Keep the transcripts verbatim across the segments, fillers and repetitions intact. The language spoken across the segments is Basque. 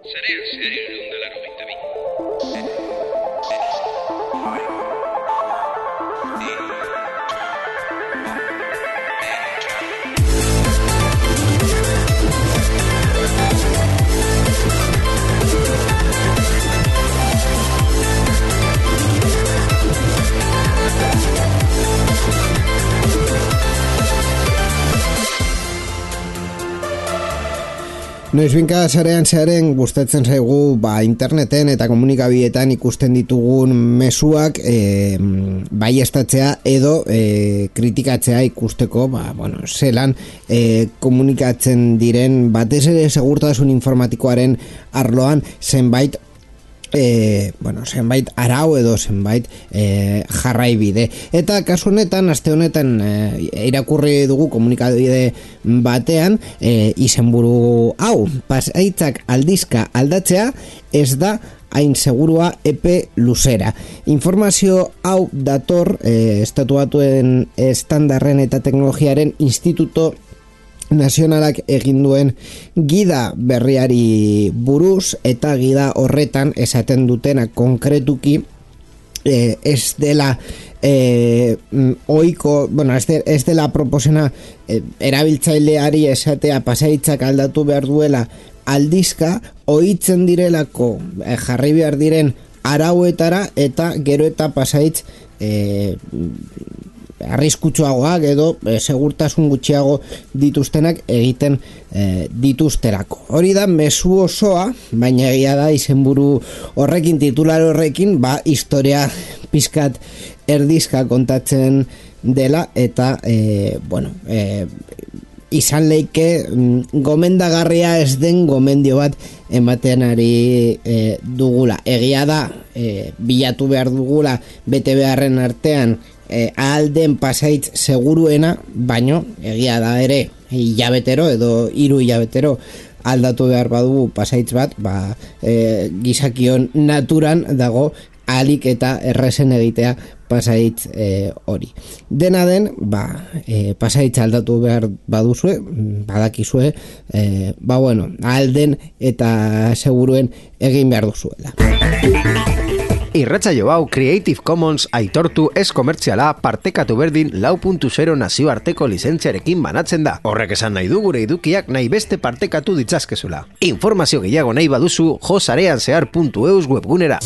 Sarean zehari da laurogeita bi. Noizbinka sarean zearen gustatzen zaigu ba, interneten eta komunikabietan ikusten ditugun mezuak e, baiestatzea edo e, kritikatzea ikusteko ba, bueno, zelan e, komunikatzen diren batez ere segurtasun informatikoaren arloan zenbait E, bueno, zenbait arau edo zenbait e, jarraibide. Eta kasu honetan, aste honetan e, irakurri dugu komunikabide batean e, izenburu hau, pasaitzak aldizka aldatzea ez da hain segurua epe luzera. Informazio hau dator e, Estatu Batuen Estandarren eta Teknologiaren Instituto Nazionalak egin duen gida berriari buruz, eta gida horretan esaten dutena konkretuki eh, ez dela eh, oiko, bueno, ez, de, ez dela proposena eh, erabiltzaileari esatea pasaitzak aldatu behar duela aldizka, ohitzen direlako eh, jarri behar diren arauetara eta gero eta pasaitz eh, arriskutsuagoak edo e, segurtasun gutxiago dituztenak egiten e, dituzterako. Hori da mezu osoa, baina egia da izenburu horrekin, titular horrekin, ba historia pizkat erdizka kontatzen dela eta e, bueno, e, izan leike gomendagarria ez den gomendio bat ematen ari e, dugula. Egia da e, bilatu behar dugula bete beharren artean E, alden pasaitz seguruena, baino egia da ere hilabetero edo hiru hilabetero aldatu behar badugu pasaitz bat, ba, e, gizakion naturan dago ahalik eta errezen egitea pasaitz e, hori. Dena den, ba, e, pasaitz aldatu behar baduzue, badakizue, e, ba bueno, alden eta seguruen egin behar duzuela. Irratsaio hau Creative Commons aitortu ez komertziala partekatu berdin lau puntu zero nazioarteko lizentziarekin banatzen da. Horrek esan nahi du gure edukiak nahi beste partekatu ditzazkezula. Informazio gehiago nahi baduzu jo sareanzehar puntu eus webgunera.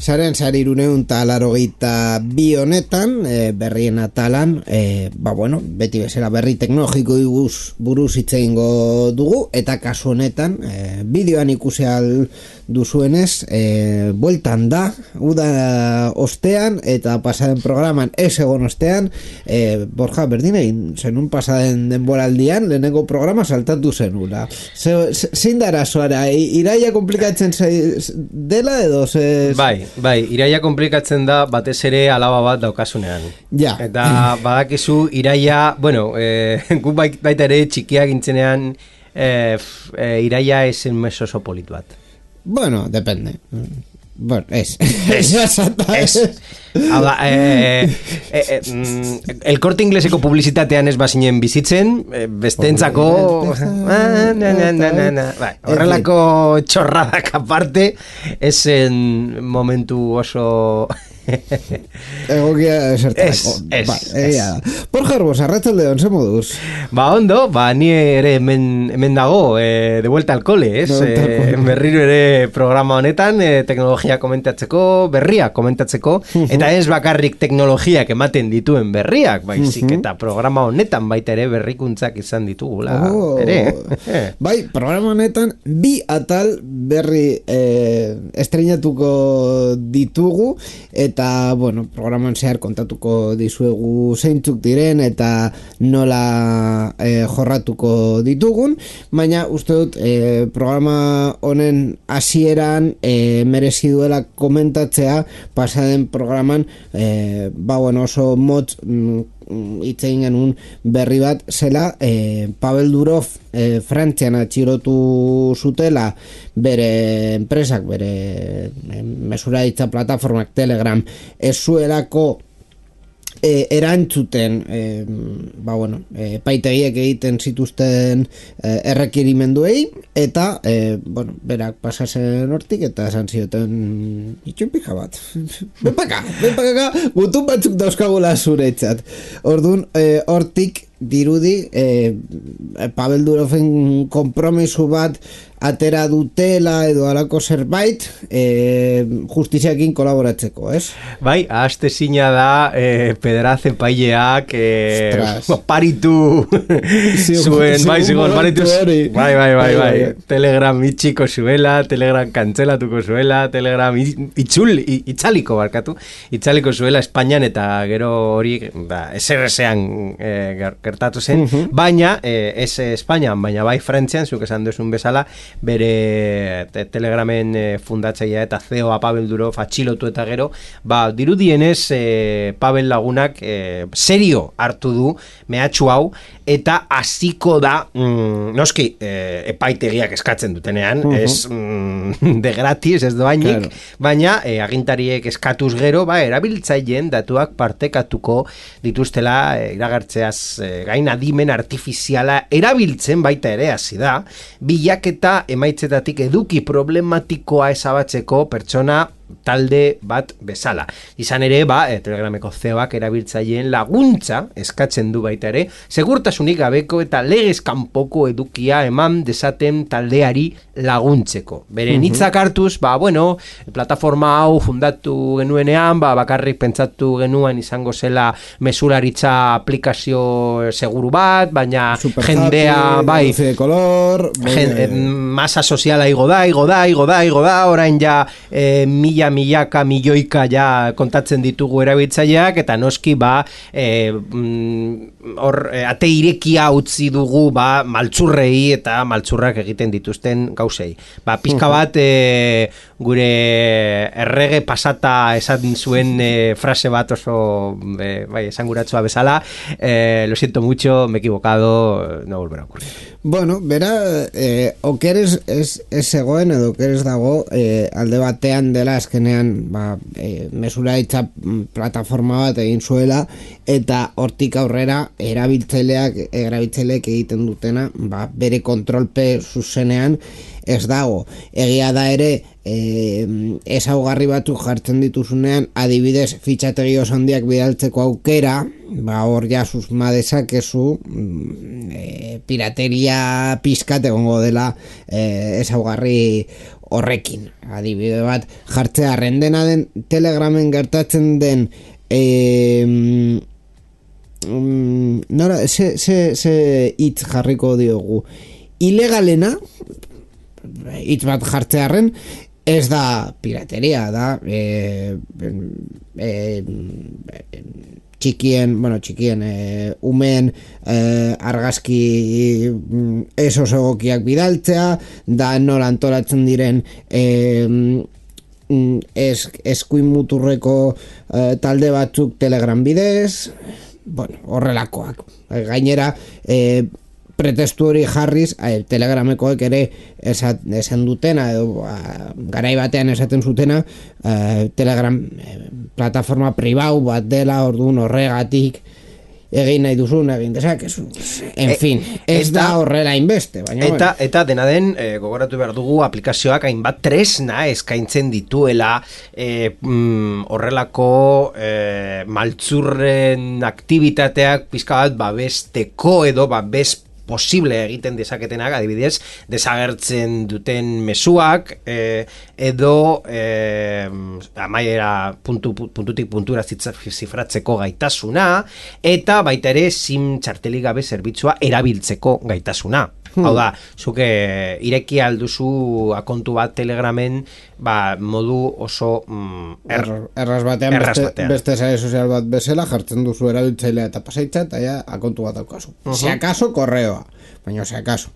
Zaren zariruneun talarogeita bi honetan, e, berrien atalan, e, ba bueno, beti bezala berri teknologiko iguz buruz hitz egingo dugu, eta kasu honetan, e, bideoan ikusi al duzuenez, e, bueltan da, uda ostean, eta pasaden programan ez egon ostean, e, Borja, berdin egin, zenun pasaden denboraldian, lehenengo programa saltatu zenula. Zein dara zoara, iraia komplikatzen dela edo? Ze... Bai, bai, iraia komplikatzen da batez ere alaba bat daukasunean. Ja. Eta badakizu iraia, bueno, e, gu baita ere txikiak gintzenean e, e, iraia esen meso oso politu bat. Bueno, depende. Bueno, es. Es. Es. Hau da, eh, eh, eh, el Corte Ingleseko publizitatean ez bazinen bizitzen, eh, bestentzako... Ah, na, na, na, na, na. Bai, horrelako txorradak aparte, esen momentu oso... Egokia esertarako. Ez, ba, ez. Por Jarbos, arratzalde onze moduz. Ba, ondo, ba, ni ere hemen, hemen dago, eh, de vuelta al cole, ez? Eh, berriro ere programa honetan, eh, teknologia komentatzeko, berriak komentatzeko, eta ez bakarrik teknologiak ematen dituen berriak, baizik, eta programa honetan baita ere berrikuntzak izan ditugula, oh, ere. Bai, programa honetan bi atal berri eh, estrenatuko ditugu, eta eta, bueno, programan zehar kontatuko dizuegu zeintzuk diren eta nola e, jorratuko ditugun, baina uste dut e, programa honen hasieran e, merezi duela komentatzea pasaden programan e, ba bueno, oso motz hitz egin genuen berri bat zela e, Pavel Durov e, Frantzian atxilotu zutela bere enpresak, bere e, mesuraritza plataformak Telegram ez zuelako E, erantzuten e, ba bueno, e, paitegiek egiten zituzten e, errekirimenduei eta e, bueno, berak pasasen hortik eta esan zioten itxun pija bat benpaka, benpaka gutun batzuk dauzkagula zuretzat. Orduan e, hortik dirudi e, Pavel Duroven konpromisu bat atera dutela edo alako zerbait e, justiziakin kolaboratzeko, ez? Bai, ahazte zina da e, pederaze paileak e, paritu zuen, bai, zigon, paritu bai, bai, bai, bai, Telegram itxiko zuela, Telegram kantzelatuko zuela, Telegram itxul, itxaliko barkatu, itxaliko zuela Espainian eta gero hori ba, S R S-ean e, gertatu zen, uh-huh. baina e, ez Espainian, baina bai Frantzian, zuk esan duzun bezala, bere te, Telegramen e, fundatzailea eta C E O-a Pavel Durov atxilotu eta gero, ba, dirudienez e, Pavel lagunak e, serio hartu du mehatxu hau eta hasiko da mm, noski e, epaitegiak eskatzen dutenean, uh-huh. ez mm, de gratis, ez doainik, claro. baina e, agintariek eskatuz gero, ba, erabiltzaileen datuak partekatuko dituztela e, iragartzeaz e, gain adimen artifiziala erabiltzen baita ere hasi da, bilaketa emaitzetatik eduki problematikoa ezabatzeko pertsona talde bat bezala. Izan ere, ba, e, Telegrameko C E O-ak erabiltzaileen laguntza eskatzen du baita ere, segurtasunik gabeko eta legez kanpoko edukia eman dezaten taldeari laguntzeko. Beren hitzak hartuz, ba, bueno, plataforma hau fundatu genuenean, ba, bakarrik pentsatu genuen izango zela mesuraritza aplikazio seguru bat, baina super jendea, happy, bai, de color, gen, eh, masa soziala igo da, igo da, igo da, igo da, orain ja eh, mila milaka, milioika ja kontatzen ditugu erabiltzaileak eta noski ba e, hor e, ate irekia utzi dugu ba maltzurrei eta maltzurrak egiten dituzten gauzei. Ba pizka bat e, gure errege pasata esan zuen e, frase bat oso e, bai, esanguratsua bezala, e, lo siento mucho, me he equivocado, no volverá a ocurrir. Bueno, bera, eh, okeres ez, ez zegoen edo okeres dago eh, alde batean dela azkenean ba, eh, mesuraitza plataforma bat egin zuela eta hortik aurrera erabiltzaileak erabiltzaileek egiten dutena ba, bere kontrolpe zuzenean ez dago. Egia da ere eh, ezaugarri batzuk jartzen dituzunean adibidez fitxategi oso handiak bidaltzeko aukera, ba hor ja susma dezakezu e, pirateria pizkat egongo dela e, ezaugarri horrekin. Adibide bat jartzea rendena den Telegramen gertatzen den e, mm, nora, ze, ze, ze hitz jarriko diogu ilegalena hitz bat jartzearen ez da pirateria, da e, e, e, txikien, bueno, txikien e, umeen e, argazki eso egokiak bidaltzea, da nola antolatzen diren e, ez, eskuin muturreko e, talde batzuk Telegram bidez, bueno, horrelakoak. Gainera, e, pretestu hori jarriz, eh, Telegramekoek ere esan, esan dutena edo a, garai batean esaten zutena eh, Telegram eh, plataforma pribau bat dela, orduan horregatik egin nahi duzun egin dezakezu. En fin, ez eta, da horrela inbeste, baina eta, bueno. Eta dena den, e, gogoratu behar dugu aplikazioak hainbat tresna eskaintzen dituela e, mm, horrelako e, maltzurren aktivitateak pizka bat babesteko edo babes posible egiten dezaketenak, adibidez, desagertzen duten mezuak eh, edo eh, amaiera puntu, puntutik puntura zifratzeko gaitasuna eta baita ere sim txartelik gabe zerbitzua erabiltzeko gaitasuna. Hmm. Hau da, zuke ireki alduzu akontu bat Telegramen, ba, modu oso mm, er, erraz batean, erraz beste, batean. beste sare sozial bat bezala, jartzen duzu erabiltzailea eta pasaitza, eta ja akontu bat daukazu. Uh -huh. Si acaso, korreoa, baina si acaso.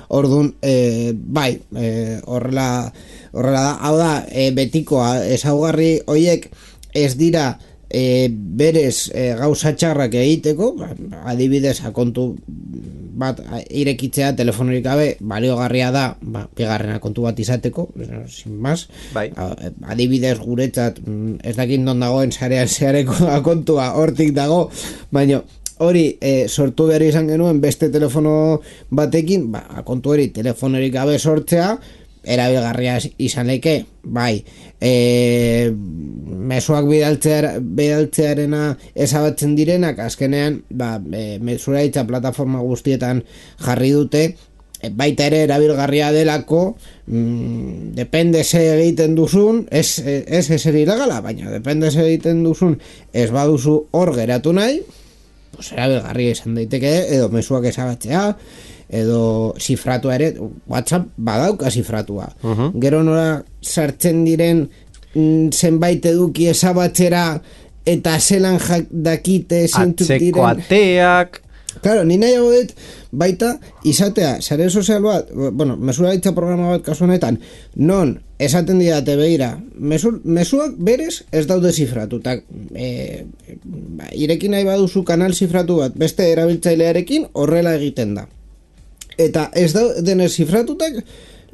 Orduan, eh, bai, eh, horrela, horrela da, hau da, eh, betikoa, ezaugarri hoiek ez dira e, berez e, gauza txarrak egiteko, adibidez akontu bat irekitzea telefonorik gabe baliogarria da, ba, bigarrena kontu bat izateko, sin más. Bai. Adibidez guretzat ez dakit non dagoen sarean zehareko akontua hortik dago, baina hori e, sortu behar izan genuen beste telefono batekin, ba, akontu hori telefonorik gabe sortzea erabilgarria izan leke, bai, e, mezuak bidaltzea, bidaltzearena ezabatzen direnak, azkenean, ba, e, mesuraitza plataforma guztietan jarri dute, e, baita ere erabilgarria delako, mm, depende ze egiten duzun, ez, ez ezer ilegala, baina depende ze egiten duzun, ez baduzu hor geratu nahi, pues erabilgarria izan daiteke, edo mezuak ezabatzea, edo zifratua ere, WhatsApp badauka zifratua. Uh-huh. Gero nora sartzen diren mm, zenbait eduki ezabatzera eta zelan jak dakite zintzuk diren. Atzeko ateak. Claro, ni nahiago dut baita izatea, sare sozial bat, bueno, mesuraitza programa bat kasu honetan, non esaten didate begira, mesur, mesuak berez ez daude zifratutak. E, ba, irekin nahi baduzu kanal zifratu bat beste erabiltzailearekin horrela egiten da. Eta ez da denez zifratutak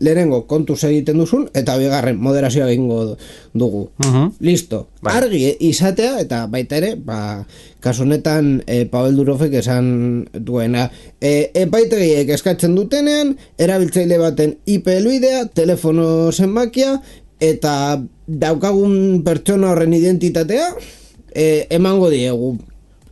lehenengo kontuz egiten duzun eta bigarren moderazioa egingo dugu. Uh-huh. Listo. Bai. Argi izatea eta baita ere, ba, kasu honetan e, Pavel Durovek esan duena. E, epaitegiek eskatzen dutenean, erabiltzaile baten I P helbidea, telefono zenbakia eta daukagun pertsona horren identitatea e, emango diegu.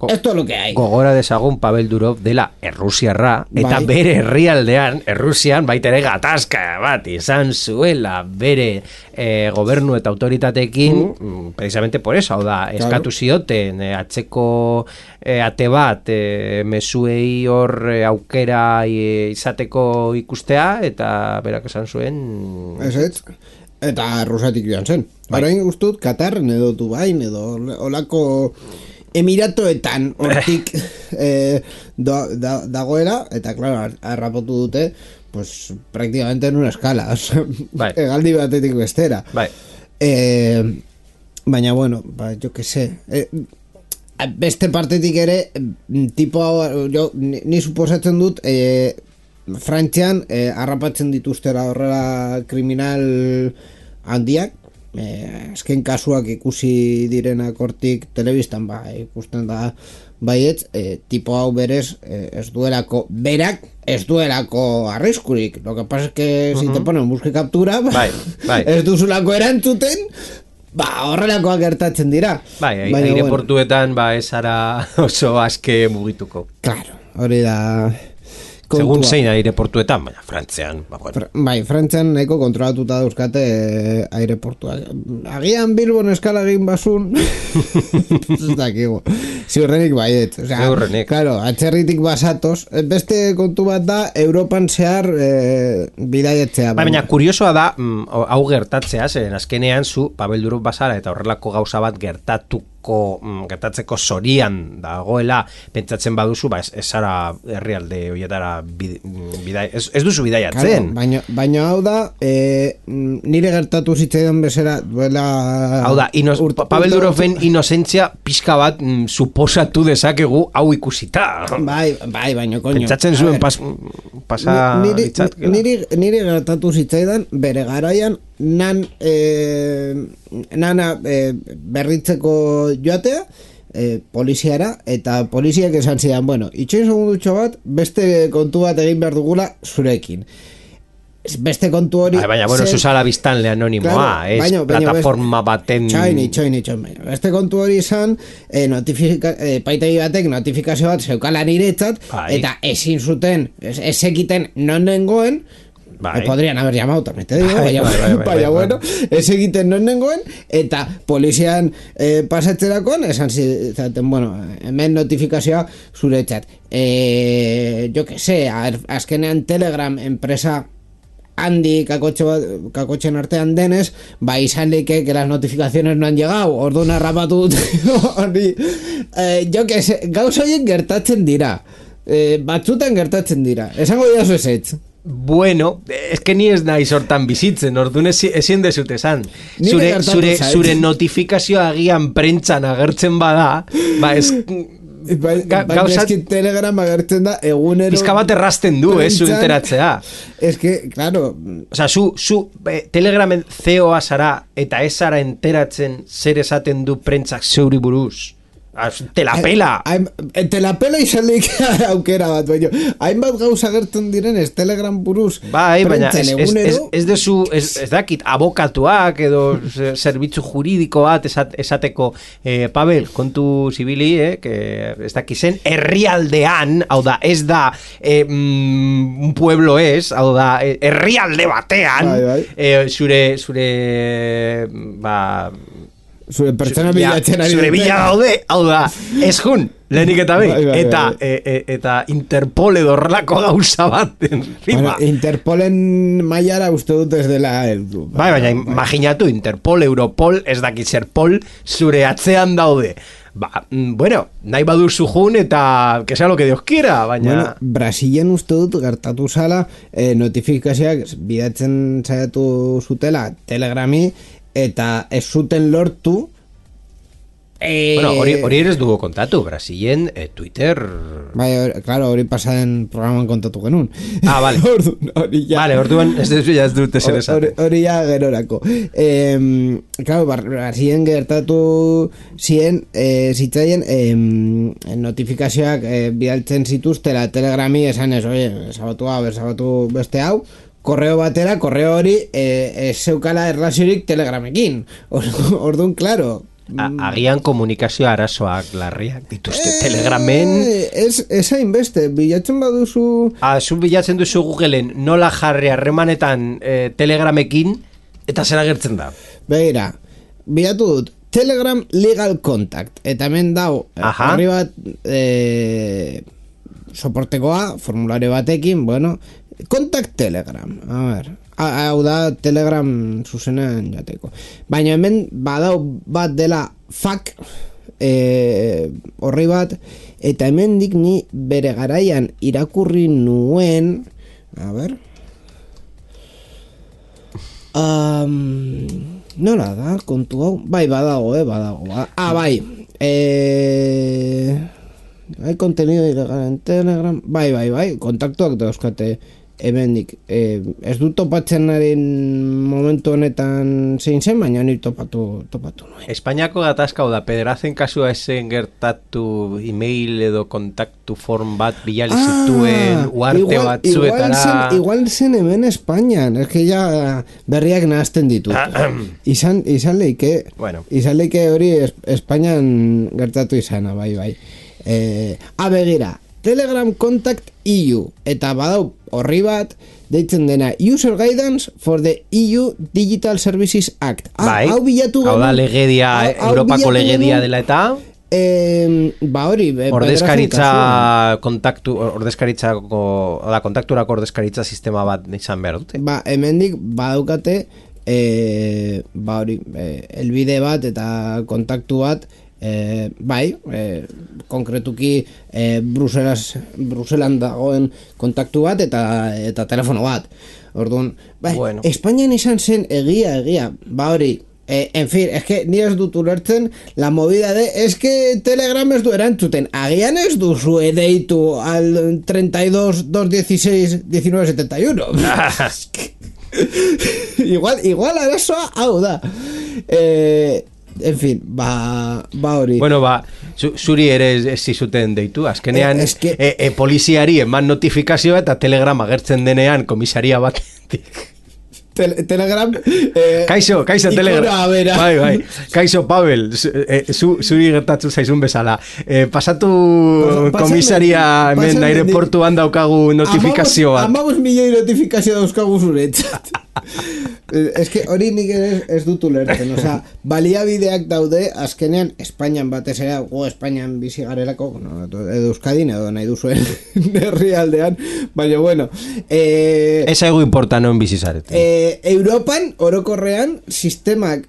Esto es lo que hay. Gogora dezagun Pavel Durov dela Errusiarra, eta bai. Bere herrialdean, Errusian, baita ere gatazka bat izan zuela bere eh, gobernu eta autoritateekin, mm. precisamente por eso, hau da, eskatu zioten, eh, atzeko eh, ate bat, eh, mezuei hor eh, aukera eh, izateko ikustea, eta berak esan zuen... Ez ez, eta Rusatik joan zen. Bai. Orain guztut, Katarren edo Dubain edo olako... Emiratoetan hortik eh, da, da, dagoela, eta claro, arrapotu dute pues prácticamente en una escala, o sea, bai. Egaldi batetik bestera. Bai. Eh, baina bueno, ba, jo que sé, eh, beste partetik ere tipo, jo, ni, ni suposatzen dut eh, Frantzian eh, arrapatzen dituztera horrela kriminal handiak. Eh, azken kasuak ikusi direnak hortik telebistan ba, ikusten da baietz, eh, tipo hau berez eh, ez duelako, berak ez duelako arriskurik, lo que pasa es que uh-huh. si te ponen busque captura ba, bai, bai. Ez duzulako erantzuten ba, horrelakoak gertatzen dira. Bai, aireportuetan bueno. Ba, ez ara oso aske mugituko. Claro, hori da kontua. Segun zein aireportuetan, baina Frantzian, ba, bueno. Fra, bai, Frantzian nahiko kontrolatuta dauzkate eh, aireportuak. Agian Bilbon eskala egin basun, ez dakigu. Ziurrenik baiet. O sea, Ziurrenik. Claro, atxerritik basatoz. Beste kontu bat da, Europan zehar eh, bidaietzea. Ba, baina kuriosoa da, mm, hau gertatzea, zeren azkenean zu, Pavel Durov basara eta horrelako gauza bat gertatu gertatzeko zorian dagoela pentsatzen baduzu, ba ez, ez zara herrialde horietara bidai, ez, ez duzu bidaiatzen. Claro, baina, baina hau da e, nire gertatu zitzaidan bezera duela hau da, inoz, Pavel Duroven inozentzia pixka bat mm, suposatu dezakegu hau ikusita. Bai, bai, baina koño. Pentsatzen zuen pas, pasa niri, niri, niri gertatu zitzaidan bere garaian nan eh, nana eh, berritzeko joatea eh, poliziara, eta poliziak esan zidan, bueno, itxoin segundutxo bat beste kontu bat egin behar dugula zurekin. Beste kontu hori... Baina, bueno, zen... zuzala biztanle anonimoa, claro, ez baino, plataforma baino, baten... Txoini, txoini, txoini. Beste kontu hori izan, eh, notifika... eh, paitegi batek notifikazio bat zeukala niretzat, eta ezin zuten, ez, ez ekiten non nengoen, Bai. Me podrían haber llamado, también te digo, Bai, baina, bai, bai, bai, baina, bai, bueno, ez egiten non nengoen, eta polizian eh, pasatzerakoan, esan zizaten, bueno, hemen notifikazioa zuretzat. Eh, jo que sé, azkenean Telegram enpresa handi kakotxe bat, kakotxen artean denez, ba izan leike que las notificaciones no han llegado, orduan arrapatu hori, eh, jo que sé, gauza horien gertatzen dira, eh, batzutan gertatzen dira, esango dira zu ezetz. Bueno, es que ni ez naiz hortan bizitzen, orduan ezin dezut esan. Nire Zure, gertatu zure, zait. zure notifikazioa agian prentxan agertzen bada, ba ez... Ba, Ga- ba, gauza- eski Telegram agertzen da egunero Pizka bat errasten du, eh, zu prentsan. enteratzea. Es que, claro, Osa, zu, zu eh, Telegramen C E O-a zara eta ez zara enteratzen zer esaten du prentzak zeuri buruz. Az, te la pela! Hain, te la pela izan leik aukera bat, baina hainbat gauza gertzen diren ez Telegram buruz Bai, baina ez, prentsan ez, ez, egunero, ez dezu, ez, ez dakit, abokatuak edo ze- zerbitzu juridiko bat esat, esateko, eh, Pavel, kontu zibili, eh, que ez dakizen, herrialdean, hau da, ez da eh, mm, un pueblo ez, hau da, eh, herrialde batean, Bai, bai. eh, zure, zure, ba... zure pertsona Ja, bilatzen ari zure dute. bila daude, hau da, ez jun, lehenik eta behin, Bai, bai, eta, bai. e, e, eta Interpol edo horrelako gauza bat, Bueno, encima. Interpolen mailara uste dut ez dela heldu. Bai, baina imaginatu, Interpol, Europol, ez dakit zer pol, zure atzean daude. Ba, mm, bueno, nahi baduzu jun eta que sea lo que Dios quiera, baina... Bueno, Brasilen uste dut gertatu zala eh, notifikazioak bidatzen saiatu zutela Telegrami eta ez zuten lortu eh, Bueno, hori, hori ere ez dugu kontatu, Brasilen, eh, Twitter... Bai, hori- claro, hori pasaden programan kontatu genuen. Ah, vale. Orduan, hori ja. Vale, orduan ez dezu ja ez dute zer Hori, esaten. hori ja gerorako. Eh, claro, Brasilen gertatu zien, eh, zitzaien eh, notifikazioak eh, bidaltzen zituztela Telegrami esan ez, oye, sabatu hau, sabatu beste hau, korreo batera, korreo hori eh, ez zeukala erlaziorik Telegramekin. Or- Orduan, claro, A, agian komunikazio arazoak larriak dituzte Telegramen. Eh, ez, ez hainbeste, bilatzen baduzu... Ah, zu bilatzen duzu Googleen nola jarri harremanetan eh, Telegramekin eta zer agertzen da. Begira, bilatu dut Telegram Legal Contact eta hemen dau Aha. horri bat eh, soportekoa, formulario batekin, bueno, Contact Telegram, a ver, ha- hau da Telegram zuzenean jateko, baina hemen badau bat dela F A Q eh, horri bat, eta hemendik ni bere garaian irakurri nuen, a ver, Um, nola da, kontu hau? Bai, badago, eh, badago. Ba. Ah, bai. Eh, hay contenido ilegal en Telegram. Bai, bai, bai. Kontaktuak dauzkate hemendik. Eh, ez du topatzenaren momentu honetan zein zen, baina ni topatu, topatu nuen. Espainiako gatazka da, pederazen kasua esen gertatu email edo kontaktu form bat bilali zituen uarte igual, batzuetara. igual zen, igual zen hemen Espainian, es que ja berriak nahazten ditut. izan, izan leike, Bueno. izan leike hori es, Espainian gertatu izana, bai, bai. Eh, a begira, Telegram Contact E U, eta badau horri bat, deitzen dena User Guidance for the E U Digital Services Act. Ah, Bai, hau bilatu hau da genuen- legedia, hau- hau Europako bilatu legedia genuen, dela eta Eh, ba hori, be- bederatzi kasuan. ordezkaritza kontaktu, ordezkaritzako, da, kontakturako ordezkaritza sistema bat izan behar dute. Ba, hemendik badaukate e, ba hori, e, elbide bat eta kontaktu bat e, bai, e, konkretuki e, Bruselas, Bruselan dagoen kontaktu bat eta eta telefono bat. Orduan, bai, Bueno. Espainian izan zen egia, egia, ba hori, Eh, en fin, es que ni ez dut ulertzen la movida de, es que Telegram ez du erantzuten, agian ez duzu edeitu al treinta y dos, dos dieciséis, diecinueve setenta y uno. Es que- igual, igual arazoa hau da. Eh, en fin, ba, ba hori. Bueno, ba, zu, zuri ere ez, ez zizuten deitu, azkenean Eh, es que- e, e, poliziari eman notifikazioa eta Telegram agertzen denean komisaria batetik. Tele, Telegram eh, Kaixo, kaixo Telegram. Bai, bai. Kaixo Pavel, zu, eh, zu, zuri gertatu zaizun bezala. Eh, pasatu Pas, komisaria hemen aireportuan daukagu notifikazio bat. Amabos milioi notifikazio dauzkagu zuretzat. Ez que hori nik ez, ez dut ulertzen, osea, baliabideak daude, azkenean Espainian batez ere, go Espainian bizi garelako, no, edo Euskadin edo nahi duzuen herrialdean, baina bueno. Eh, ez egu importa non bizi zarete. Eh, Europan, orokorrean, sistemak,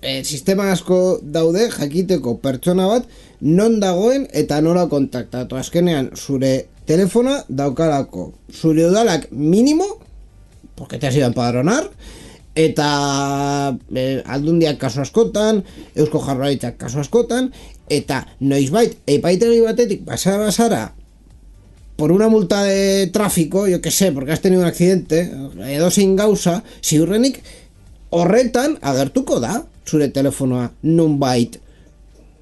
eh, sistema asko daude, jakiteko pertsona bat, non dagoen eta nola kontaktatu. Azkenean, zure telefona daukalako, zure udalak minimo, porque te has ido a empadronar, eta eh, aldundiak kaso askotan, Eusko Jaurlaritzak kaso askotan, eta noizbait epaitegi batetik pasara basara por una multa de tráfico, yo que sé, porque has tenido un accidente, edozein gauza, ziurrenik horretan agertuko da zure telefonoa nonbait.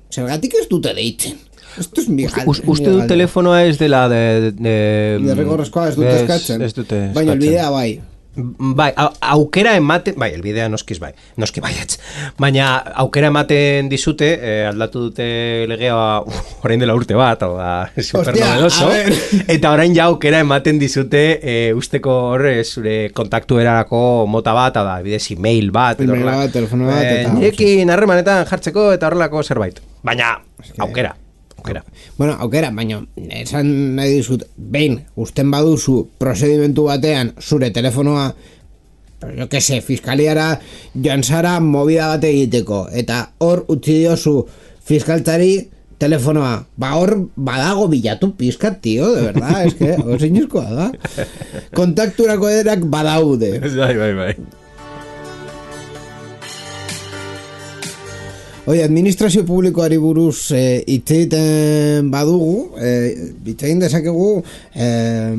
Zergatik ez dute deitzen. Esto es mi Uste du telefonoa ez dela de... De, de rigorrezkoa ez dute eskatzen. Ez dute eskatzen. Baina elbidea bai. Bai, aukera ematen, bai, elbidea noskiz bai, noski baietz. Baina aukera ematen dizute, eh, aldatu dute legea orain dela urte bat, hau da, super novedoso. Eta orain ja aukera ematen dizute eh, usteko horre zure kontaktu erarako mota bat, hau da, bidez email bat, email bat, telefono bat, eta nirekin harremanetan jartzeko eta horrelako zerbait. Baina, aukera. Aukera. Bueno, aukera, baina esan nahi dizut, behin, usten baduzu prozedimentu batean zure telefonoa, jo que se, fiskaliara joan zara movida bat egiteko, eta hor utzi diozu fiskaltzari telefonoa, ba hor badago bilatu pizkat, tío, de verdad, es que osinizkoa da. Kontakturako erak badaude. Bai, bai, bai. Oye, administrazio publikoari buruz eh, hitz egiten badugu, eh, hitz egin dezakegu eh,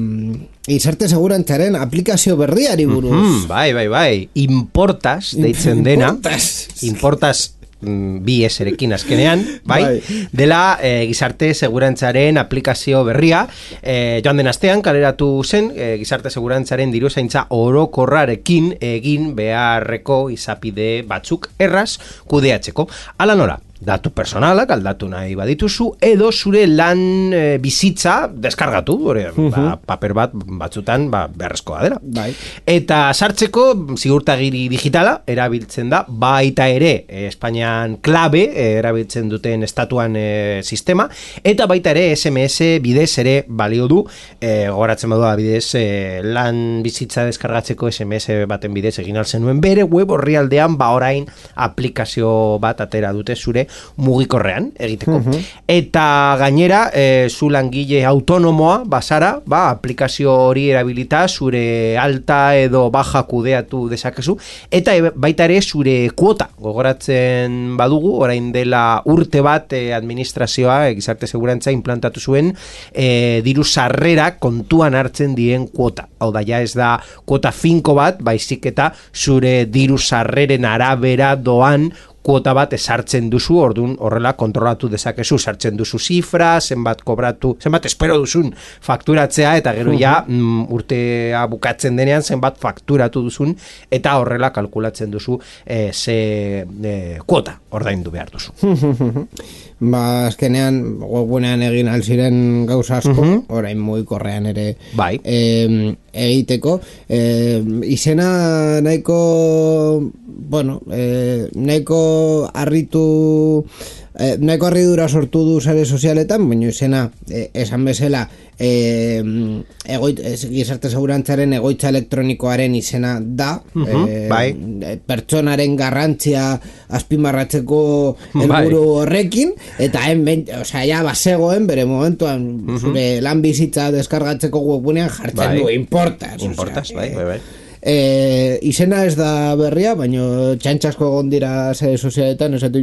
gizarte segurantzaren aplikazio berriari buruz. Mm-hmm, bai, bai, bai. Importas, deitzen dena. Importas. Importas bi eserekin azkenean, bai, bai. Dela e, gizarte segurantzaren aplikazio berria, e, joan den astean kaleratu zen, e, gizarte segurantzaren diruzaintza orokorrarekin egin beharreko izapide batzuk erraz kudeatzeko. Hala nola, datu personalak aldatu nahi badituzu, edo zure lan e, bizitza deskargatu, ore, uh-huh. ba, paper bat batzutan ba, beharrezkoa dela. Bai. Eta sartzeko ziurtagiri digitala erabiltzen da, baita ere e, Espainian klabe e, erabiltzen duten estatuan e, sistema, eta baita ere S M S bidez ere balio du, e, gogoratzen badua bidez e, lan bizitza deskargatzeko S M S baten bidez egin altzen nuen bere web orrialdean, ba orain aplikazio bat atera dute zure mugikorrean egiteko. Uh-huh. Eta gainera, e, zu langile autonomoa basara, ba, aplikazio hori erabilita zure alta edo baja kudeatu dezakezu, eta e, baita ere zure kuota gogoratzen badugu, orain dela urte bat e, administrazioa, e, gizarte segurantza implantatu zuen e, diru sarrera kontuan hartzen dien kuota. Hau da, ja ez da kuota finko bat, baizik eta zure diru sarreren arabera doan kuota bat esartzen duzu, ordun horrela kontrolatu dezakezu, sartzen duzu zifra, zenbat kobratu, zenbat espero duzun fakturatzea, eta gero ja mm, urtea bukatzen denean zenbat fakturatu duzun, eta horrela kalkulatzen duzu e, ze e, kuota ordaindu behar duzu. Ba, azkenean webgunean egin alziren gauza asko, uh-huh. orain mugikorrean ere bai. eh, egiteko. Eh, izena nahiko, bueno, eh, nahiko harritu, eh, nahiko harridura sortu du sare sozialetan, baina izena eh, esan bezala eh, egoit, eh, gizarte segurantzaren egoitza elektronikoaren izena da, uh-huh. eh, bai. pertsonaren garrantzia azpimarratzeko helburu bai. horrekin, eta hemen, osea, ja basegoen bere momentuan uh-huh. zure lan bizitza deskargatzeko webgunean jartzen bai. du importas. Importas, osea, bai, bai, bai. E, izena ez da berria, baina txantxasko egon dira sare sozialetan, esate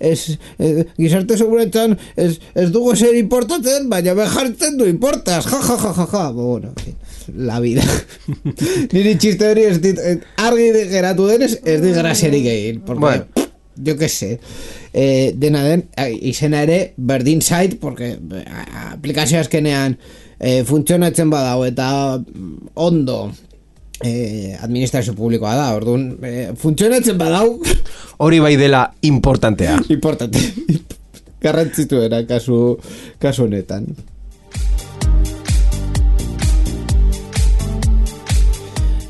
ez, ez, gizarte segurantzan ez, ez dugu zer importatzen, baina be jartzen du importas, ja, ja, ja, ja, ja. Bueno, la vida. Niri txiste hori ez dit, argi geratu denez, ez dit graziarik egin, porque, bueno. yo que sé, eh, dena den, izena ere berdin zait, porque aplikazio azkenean E, funtzionatzen badau eta ondo eh, administrazio publikoa da, orduan, eh, funtzionatzen badau... Hori bai dela importantea. Importante. Garrantzituera kasu, kasu honetan.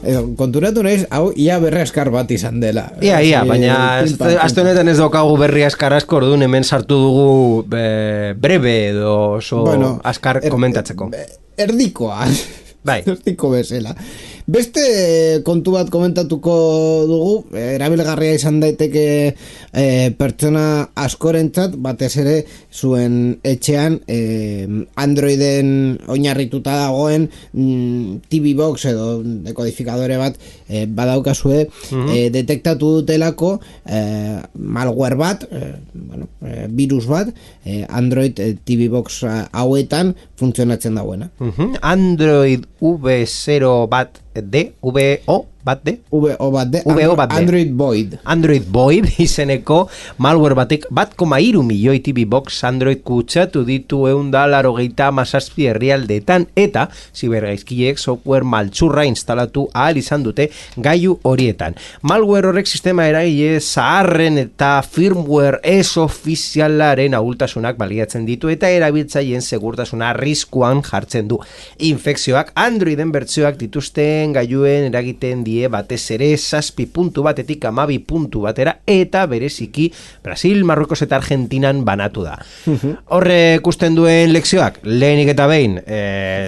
Edo, konturatu naiz, hau ia berri askar bat izan dela. Ia, ia, baina aste honetan ez daukagu berri askar asko, orduan hemen sartu dugu be, brebe edo oso bueno, askar er, komentatzeko. Erdikoa. Bai. Erdiko bezala. Beste kontu bat komentatuko dugu, erabilgarria izan daiteke e, pertsona askorentzat, batez ere zuen etxean e, Androiden oinarrituta dagoen mm, T V Box edo dekodifikadore bat e, badaukazue, mm-hmm. e, detektatu dutelako e, malware bat, e, bueno, e, virus bat, e, Android e, T V Box hauetan funtzionatzen dagoena. Mm-hmm. Android V zero bat D, V O bat D? V O bat D, V O bat D. Android Void. Android Void izeneko malware batek bat koma hiru milioi T V Box Android kutsatu ditu eunda larogeita hamazazpi herrialdeetan eta zibergaizkileek software maltzurra instalatu ahal izan dute gailu horietan. Malware horrek sistema eragile zaharren eta firmware ez ofizialaren ahultasunak baliatzen ditu eta erabiltzaileen segurtasuna arriskuan jartzen du. Infekzioak Androiden bertsioak dituzten gailuen eragiten die batez ere zazpi puntu batetik hamabi puntu batera eta bereziki Brasil, Marruekos eta Argentinan banatu da. Horre ikusten duen lekzioak, lehenik eta behin e,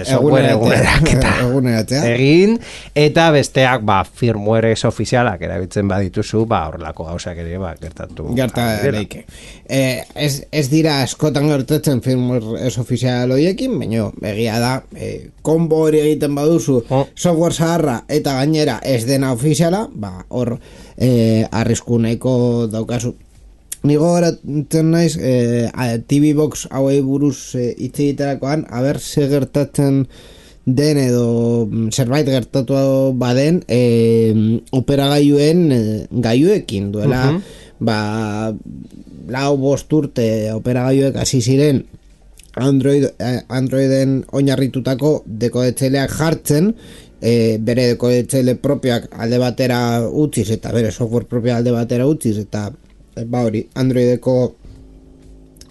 software egunerak eta egin, eta besteak ba, firmware ez ofizialak erabiltzen badituzu, ba, horrelako gauzak ere ba, gertatu. Gerta leike. Eh, ez, ez dira askotan gertatzen firmware ez ofizial horiekin, baina egia da, eh, konbo hori egiten baduzu, oh. software zaharra eta gainera ez dena ofiziala, ba, hor eh, arrisku nahiko daukazu. Nigo horatzen naiz, eh, T V Box hauei buruz eh, hitz egiterakoan, haber ze gertatzen den edo zerbait gertatu baden eh, operagailuen eh, gailuekin duela, uh-huh. ba, lau bost urte operagailuek hasi ziren Android, Androiden oinarritutako dekodetzaileak jartzen, e, bere dekodetzaile propioak alde batera utziz eta bere software propioa alde batera utziz eta ba hori Androideko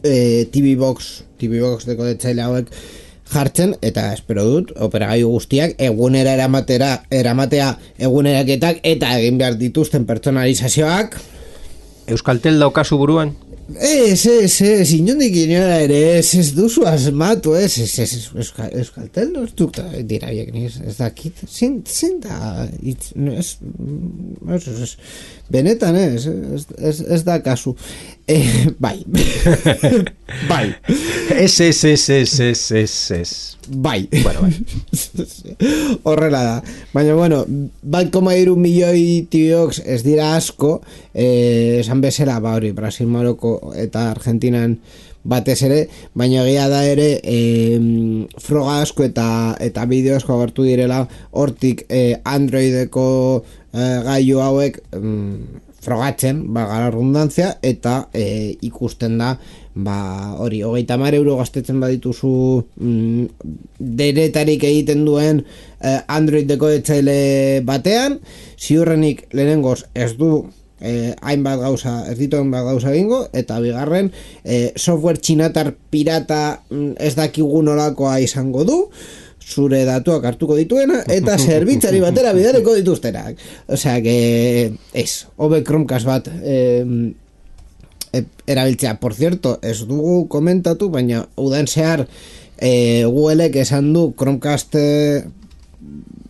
e, T V Box T V Box dekodetzaile hauek jartzen eta espero dut operagailu guztiak egunera eramatera eramatea eguneraketak eta egin behar dituzten pertsonalizazioak. Euskaltel daukazu buruan? Ez, ez, ez, inondik inora ere, ez, ez duzu asmatu, ez, ez, ez, ez, Euskaltel no ez dukta dira biek, ez, ez dakit, zin, zin da, ez, ez, ez, benetan, ez, ez, ez, ez da kasu, eh, bai, bai, ez, ez, ez, ez, ez, ez, ez, bai, bueno, bai, horrela da, baina, bueno, bat koma hiru milioi T V Box ez dira asko, eh, esan bezala, ba hori, Brasil, Maroko eta Argentinan batez ere, baina egia da ere e, froga asko eta eta bideo asko agertu direla hortik e, Androideko e, gailu hauek mm, frogatzen, ba, gara redundantzia eta e, ikusten da ba, hori, hogeita hamar euro gastetzen badituzu mm, denetarik egiten duen e, Android dekodetzaile batean, ziurrenik lehenengoz ez du Eh, hainbat gauza, ez ditu hainbat gauza egingo, eta bigarren eh, software txinatar pirata ez dakigu nolakoa izango du, zure datuak hartuko dituena, eta zerbitzari batera bidareko dituztenak. Osea, que ez, hobe Chromecast bat eh, erabiltzea. Por cierto, ez dugu komentatu, baina udan zehar eh, Googleek esan du Chromecast eh,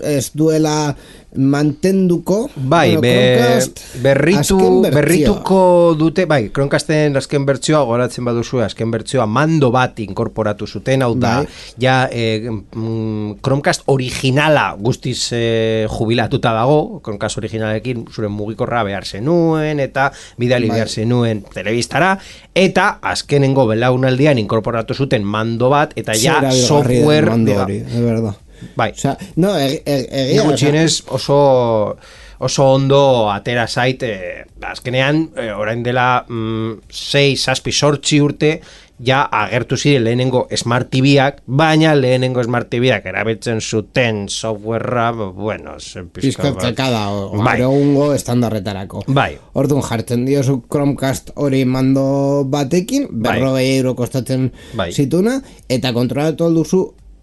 ez duela mantenduko, bai, bueno, be, berritu, berrituko dute, bai, Chromecasten azken bertsioa goratzen baduzu, azken bertsioa mando bat inkorporatu zuten, hau da, bai. ja eh, mm, Chromecast originala guztiz eh, jubilatuta dago, Chromecast originalekin zure mugikorra behar zenuen eta bidali bai. behar zenuen telebistara, eta azkenengo belaunaldian inkorporatu zuten mando bat, eta ja software mando hori, es verdad. Bai. O sea, no, egia gutxienez oso oso ondo atera zait, eh, azkenean eh, orain dela mm, sei, zazpi, zortzi urte ja agertu ziren lehenengo Smart T V-ak, baina lehenengo Smart T V-ak erabiltzen zuten softwarea, bueno, pizkatzeka da, bai. Egungo estandarretarako. Bai. Orduan jartzen diozu Chromecast hori mando batekin, berrogei euro kostatzen bai. zituna, eta kontrolatu alduzu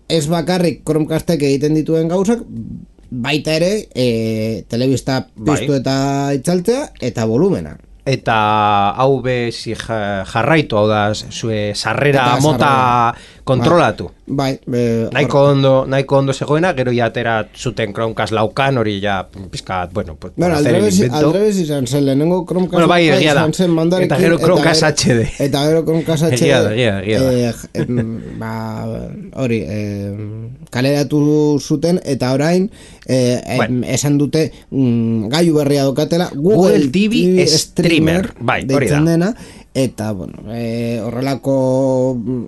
ez bakarrik Chromecastek egiten dituen gauzak, baita ere e, telebista piztu bai. Eta itzaltzea eta volumena. Eta hau be si jarraitu, hau da zue sarrera mota kontrolatu. Bai, be, nahiko ondo, nahiko ondo zegoena, gero ja atera zuten Chromecast laukan, hori ja pizkat, bueno, pues bueno, hacer el invento. Aldrebes izan zen, lehenengo Chromecast bueno, bai, egia da. Eta gero Chromecast H D. Eta gero Chromecast H D. Egia da, egia, egia da. Eh, ba, hori, eh, kaleratu zuten, eta orain eh, bueno. esan dute mm, gailu berria dokatela Google, Google T V Streamer, bai, hori da. Dena, eta, bueno, e, horrelako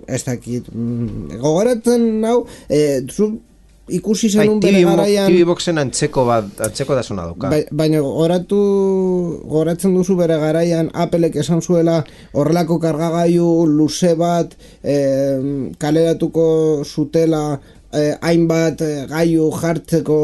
ez dakit gogoratzen hau, e, zu ikusi zenun bai, bere garaian T V Boxen antzeko bat, antzeko da zona dauka. Bai, baina gogoratu gogoratzen duzu bere garaian Applek esan zuela horrelako kargagailu luze bat e, kaleratuko zutela eh, hainbat eh, gailu jartzeko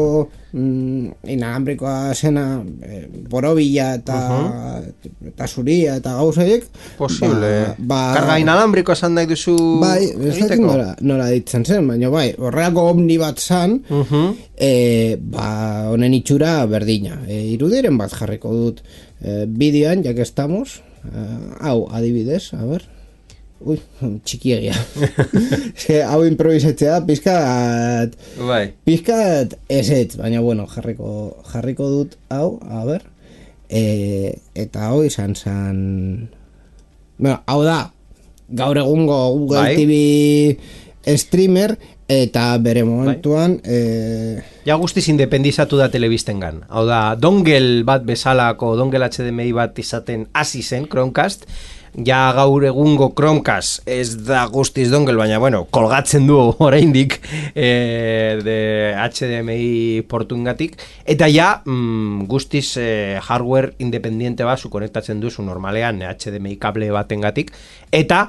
mm, inalambrikoa zena eh, borobila eta uh-huh. eta zuria eta gauzaiek posible ba, ba, karga inalambriko esan nahi duzu bai, ez dakit nola, nola ditzen zen baina bai, horreako omni bat zan uh-huh. eh, ba, honen itxura berdina eh, irudiren bat jarriko dut eh, bideoan, jak estamos eh, hau adibidez, a ver uy, txikiegia hau improvisatzea pizkat bai. pizkat ezetz, baina bueno jarriko, jarriko dut hau, a ber e, eta hau izan zan bueno, hau da gaur egungo Google bai. T V streamer eta bere momentuan bai. e... ja guztiz independizatu da telebistengan hau da dongle bat bezalako dongle H D M I bat izaten hasi zen Chromecast ja gaur egungo Chromecast ez da guztiz dongle, baina bueno, kolgatzen du oraindik eh, de H D M I portungatik, eta ja mm, guztiz eh, hardware independiente bat zu konektatzen duzu normalean H D M I kable batengatik, eta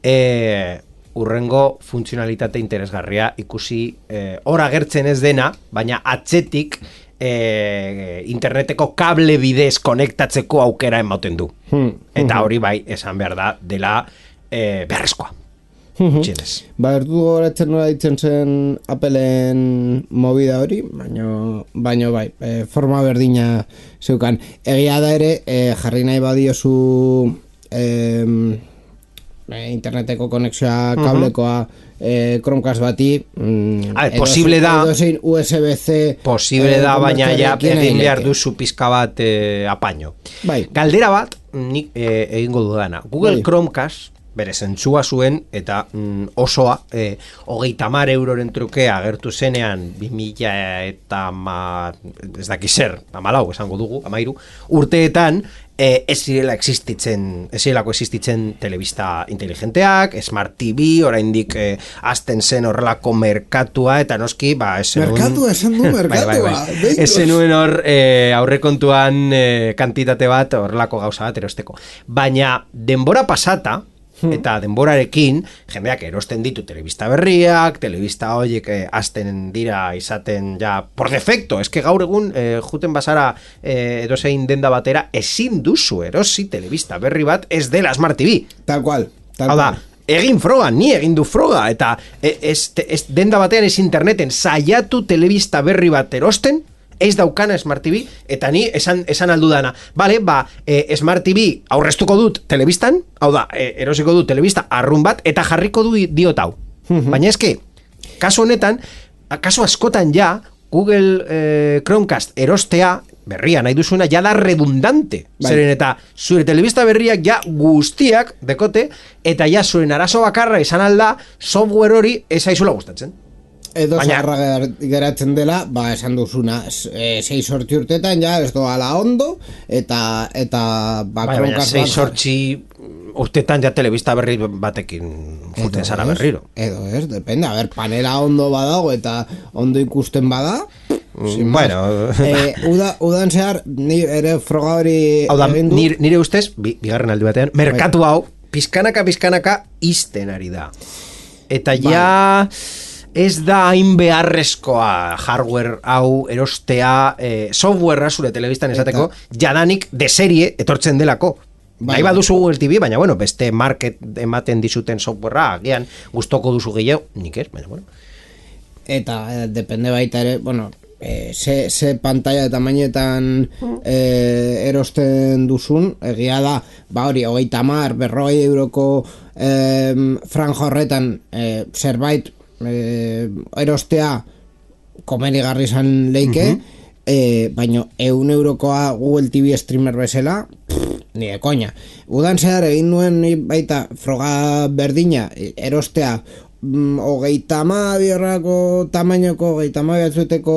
eh, urrengo funtzionalitate interesgarria ikusi eh, hor agertzen ez dena, baina atzetik E, interneteko kable bidez konektatzeko aukera ematen du hmm. eta hori bai esan behar da dela e, beharrezkoa hmm. ba erdu goratzen nola ditzen zen Appleen movida hori baino, baino bai e, forma berdina zeukan egia da ere e, jarri nahi badiozu e, e, interneteko konexioa kablekoa Eh, Chromecast bati mm, ver, posible da edozein U S B C posible eh, da baina ja egin behar duzu pizka bat eh, apaño bai. Galdera bat nik eh, egingo dudana Google bai. Chromecast bere zentzua zuen eta mm, osoa eh, hogeita hamar euroren truke agertu zenean bi mila eta ma, ez daki zer hamalau esango dugu, hamairu urteetan eh, ez zirela existitzen ez zirelako existitzen telebista inteligenteak, Smart T V oraindik eh, azten zen horrelako merkatua eta noski ba, merkatua esan du merkatua bai, bai, bai. Ezen nuen hor eh, aurrekontuan eh, kantitate bat horrelako gauza bat erosteko baina denbora pasata eta denborarekin jendeak erosten ditu telebista berriak, telebista horiek eh, azten dira izaten ja por defecto, eske gaur egun eh, juten basara eh, edozein denda batera ezin duzu erosi telebista berri bat ez dela Smart T V tal cual, tal hau da, egin froga, ni egin du froga eta ez, ez, denda batean ez interneten saiatu telebista berri bat erosten ez daukana Smart T V, eta ni esan, esan aldudana, bale, ba, e, Smart T V aurreztuko dut telebistan, hau da, e, erosiko dut telebista arrun bat, eta jarriko du diot hau. Baina eske, kasu honetan, kasu askotan ja, Google eh, Chromecast erostea, berria nahi duzuna, ja da redundante. Bai. Zeren eta zure telebista berriak ja guztiak dekote, eta ja zuen arazo bakarra izan alda, software hori ez aizula gustatzen. Edo zaharra geratzen dela, ba, esan duzuna, e, sei sortzi urtetan, ja, ez doala ondo, eta, eta, ba, bai, baina, sei sortzi urtetan ja telebista berri batekin juten zara berriro. Edo ez, depende, a ber, panela ondo badago, eta ondo ikusten bada, mm, bueno, e, uda, udan zehar, ni ere froga hori... Hau da, nire, nire ustez, bi, bigarren aldi batean, merkatu hau, pizkanaka pizkanaka izten ari da. Eta ja ez da hain beharrezkoa hardware hau erostea, eh, softwarea zure telebistan esateko, jadanik de serie etortzen delako. Bai, nahi baduzu Google T V, baina bueno, beste market ematen dizuten softwarea, agian gustoko duzu gehiago, nik ez, baina bueno. Eta eh, depende baita ere, bueno, eh, ze, ze pantalla eta mainetan eh, erosten duzun, egia da, ba hori, hogeita hamar, berrogei euroko eh, franja horretan eh, zerbait eh, erostea komenigarri izan leike, uh-huh. eh, baina eun eurokoa Google T V streamer bezala, ni de koña. Udan zehar egin nuen baita froga berdina erostea mm, hogeita hamabi horrako tamainoko, hogeita hamabi batzueteko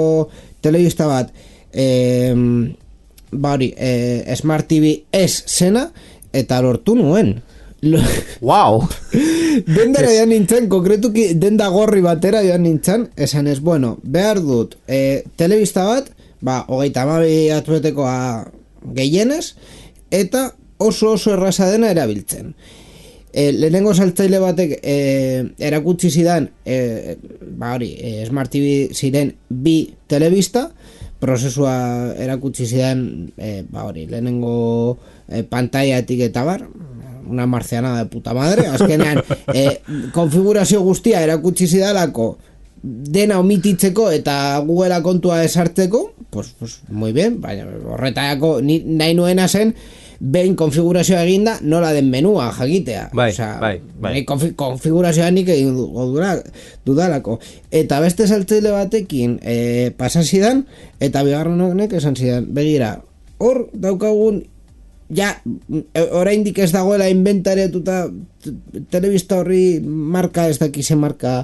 telebista bat, eh, ba hori, eh, Smart T V ez zena, eta lortu nuen. Wow! Dendara joan nintzen, konkretuki denda gorri batera joan nintzen, esan ez, bueno, behar dut eh, telebista bat, ba, hogeita hamabi batzuetekoa gehienez, eta oso oso erraza dena erabiltzen. E, lehenengo saltzaile batek e, erakutsi zidan e, ba hori, e, Smart T V ziren bi telebista, prozesua erakutsi zidan e, ba hori, lehenengo e, pantaiatik eta bar, una marciana de puta madre, azkenean e, konfigurazio guztia erakutsi zidalako dena omititzeko eta Google'a kontua esartzeko, pues, pues muy bien, baina horretako nahi nuena zen behin konfigurazioa eginda nola den menua jakitea. Bai, Osea, bai, bai. Konfi, konfigurazioa nik egin dudalako. Eta beste saltzaile batekin e, pasazidan, eta bigarren honek esan zidan, begira, hor daukagun ja, oraindik ez dagoela inventariatuta telebista horri marka ez dakize marka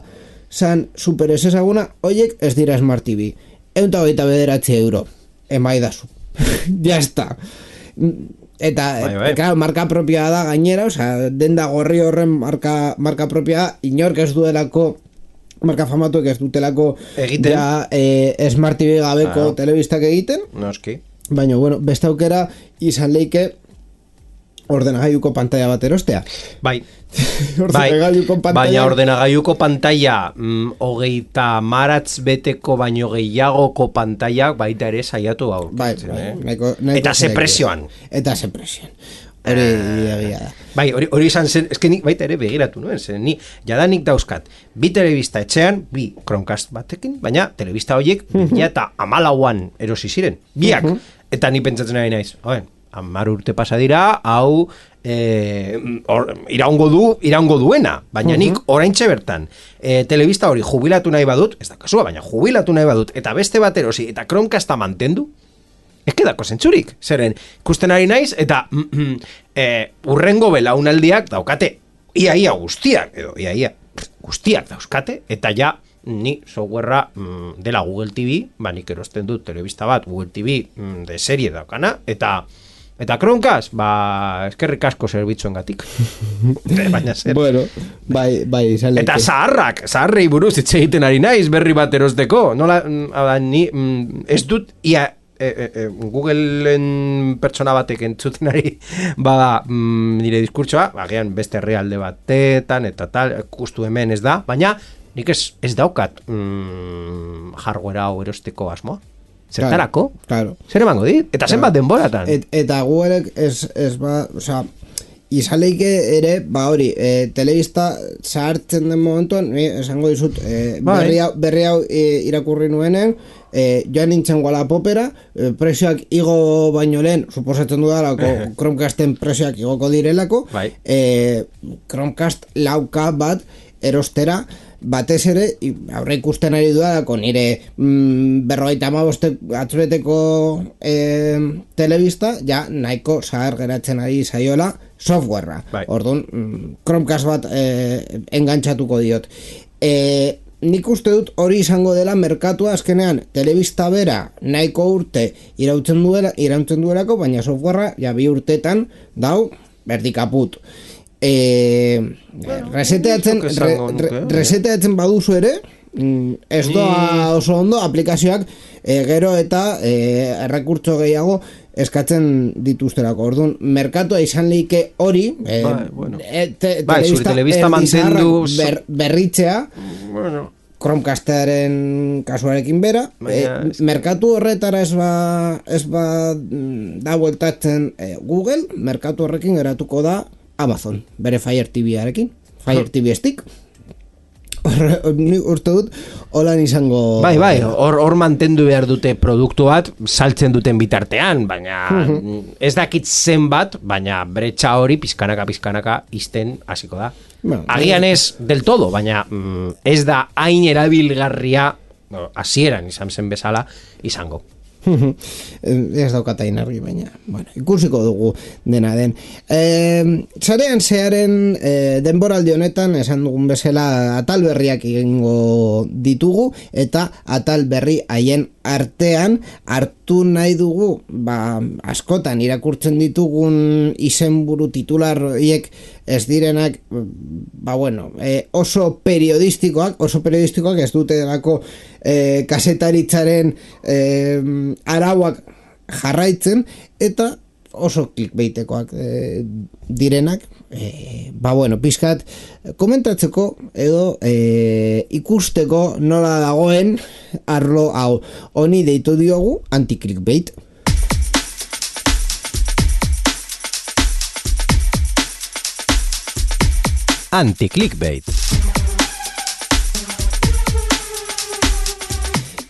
zan super ez ezaguna, oiek ez dira Smart T V. Eunta hogeita bederatzi euro. Emaidazu. Ya está. Eta, bai, bai. Claro, marka propia da gainera, osea, denda gorri horren marka, marka propia, inork ez duelako, marka famatuek ez dutelako egiten. Ja, eh, Smart T V gabeko ah. telebistak egiten. Noski. Baina, bueno, beste aukera izan leike ordenagailuko pantalla bat erostea. Bai. Ordenagailuko pantalla. Baina ordenagailuko pantalla mm, hogeita maratz beteko baino gehiagoko pantalla baita ere saiatu hau. Bai, bai, neko, neko eta ze presioan. Eta ze presioan. Hori egia da. Bai, hori, hori izan zen, eske nik baita ere begiratu nuen, zen ni jadanik dauzkat bi telebista etxean, bi Chromecast batekin, baina telebista horiek uh -huh. eta amalauan erosi ziren, biak, uh -huh. eta ni pentsatzen ari naiz, oen, hamar urte pasa dira, hau e, or, iraungo du, iraungo duena, baina uh -huh. nik oraintxe bertan, e, telebista hori jubilatu nahi badut, ez da kasua, baina jubilatu nahi badut, eta beste bat erosi, eta Chromecasta mantendu, ez kedako zentzurik, zeren, ikusten ari naiz, eta mm, e, urrengo belaunaldiak daukate, iaia guztiak, edo iaia guztiak dauzkate, eta ja, ni softwarea mm, dela Google T V, ba nik erosten dut telebista bat Google T V mm, de serie daukana, eta eta Chromecast, ba eskerrik asko zerbitzuen-gatik. Baina zer. Bueno, bai, bai, izan eta zaharrak, zaharrei buruz hitz egiten ari naiz berri bat erosteko, nola, ni mm, ez dut ia E, e, e, Googleen pertsona batek entzuten ari bada mm, nire diskurtsoa, bagian beste herrialde batetan eta tal, justu hemen ez da, baina nik ez, ez daukat mm, hardware hau erosteko asmoa. Zertarako? Claro, claro. Zer emango dit? Eta zenbat denboratan? Et, eta Googleek ez, ez ba, osea, izaleike ere, ba hori, e, telebista zahartzen den momentuan, esango dizut, e, berri hau, berri hau e, irakurri nuenen, e, joan nintzen Wallapopera, e, presioak igo baino lehen, suposatzen dudalako, Chromecasten presioak igoko direlako, bai. e, Chromecast lauka bat erostera, batez ere, aurre ikusten ari dudalako, nire mm, berrogeita hamabost atzureteko e, telebista, ja nahiko zahar geratzen ari zaiola softwarea. Bai. Orduan, Chromecast bat e, engantxatuko diot. E, nik uste dut hori izango dela merkatua azkenean telebista bera nahiko urte irautzen duela, irautzen duelako, baina softwarea ja bi urtetan dau berdikaput. E, bueno, reseteatzen re, re, reseteatzen baduzu ere, ez doa oso ondo aplikazioak e, gero eta e, errekurtso gehiago eskatzen dituzterako. Orduan, merkatua izan leike hori, eh, bai, bueno. e, te, bai, zure telebista mantendu ber, berritzea, bueno, Chromecastaren kasuarekin bera, baina, e, merkatu horretara ez ba, ez ba da bueltatzen e, Google, merkatu horrekin geratuko da Amazon, bere Fire T V-arekin, Fire T V Stick. Ni uste dut holan izango. Bai, bai, hor, hor mantendu behar dute produktu bat saltzen duten bitartean, baina ez dakit zenbat, baina bretxa hori pizkanaka pizkanaka izten hasiko da. Bueno, agian ez del todo, baina mm, ez da hain erabilgarria no, hasieran izan zen bezala izango. Ez daukatain argi, baina bueno, ikusiko dugu dena den. E, zarean zearen e, denboraldi honetan esan dugun bezala atal berriak egingo ditugu eta atal berri haien artean hartu nahi dugu ba, askotan irakurtzen ditugun izenburu titular horiek ez direnak ba bueno, e, oso periodistikoak, oso periodistikoak ez dute delako e, kasetaritzaren e, arauak jarraitzen eta oso clickbaitekoak e, direnak e, ba bueno, pizkat komentatzeko edo e, ikusteko nola dagoen arlo hau honi deitu diogu anti-clickbait. Anti-clickbait.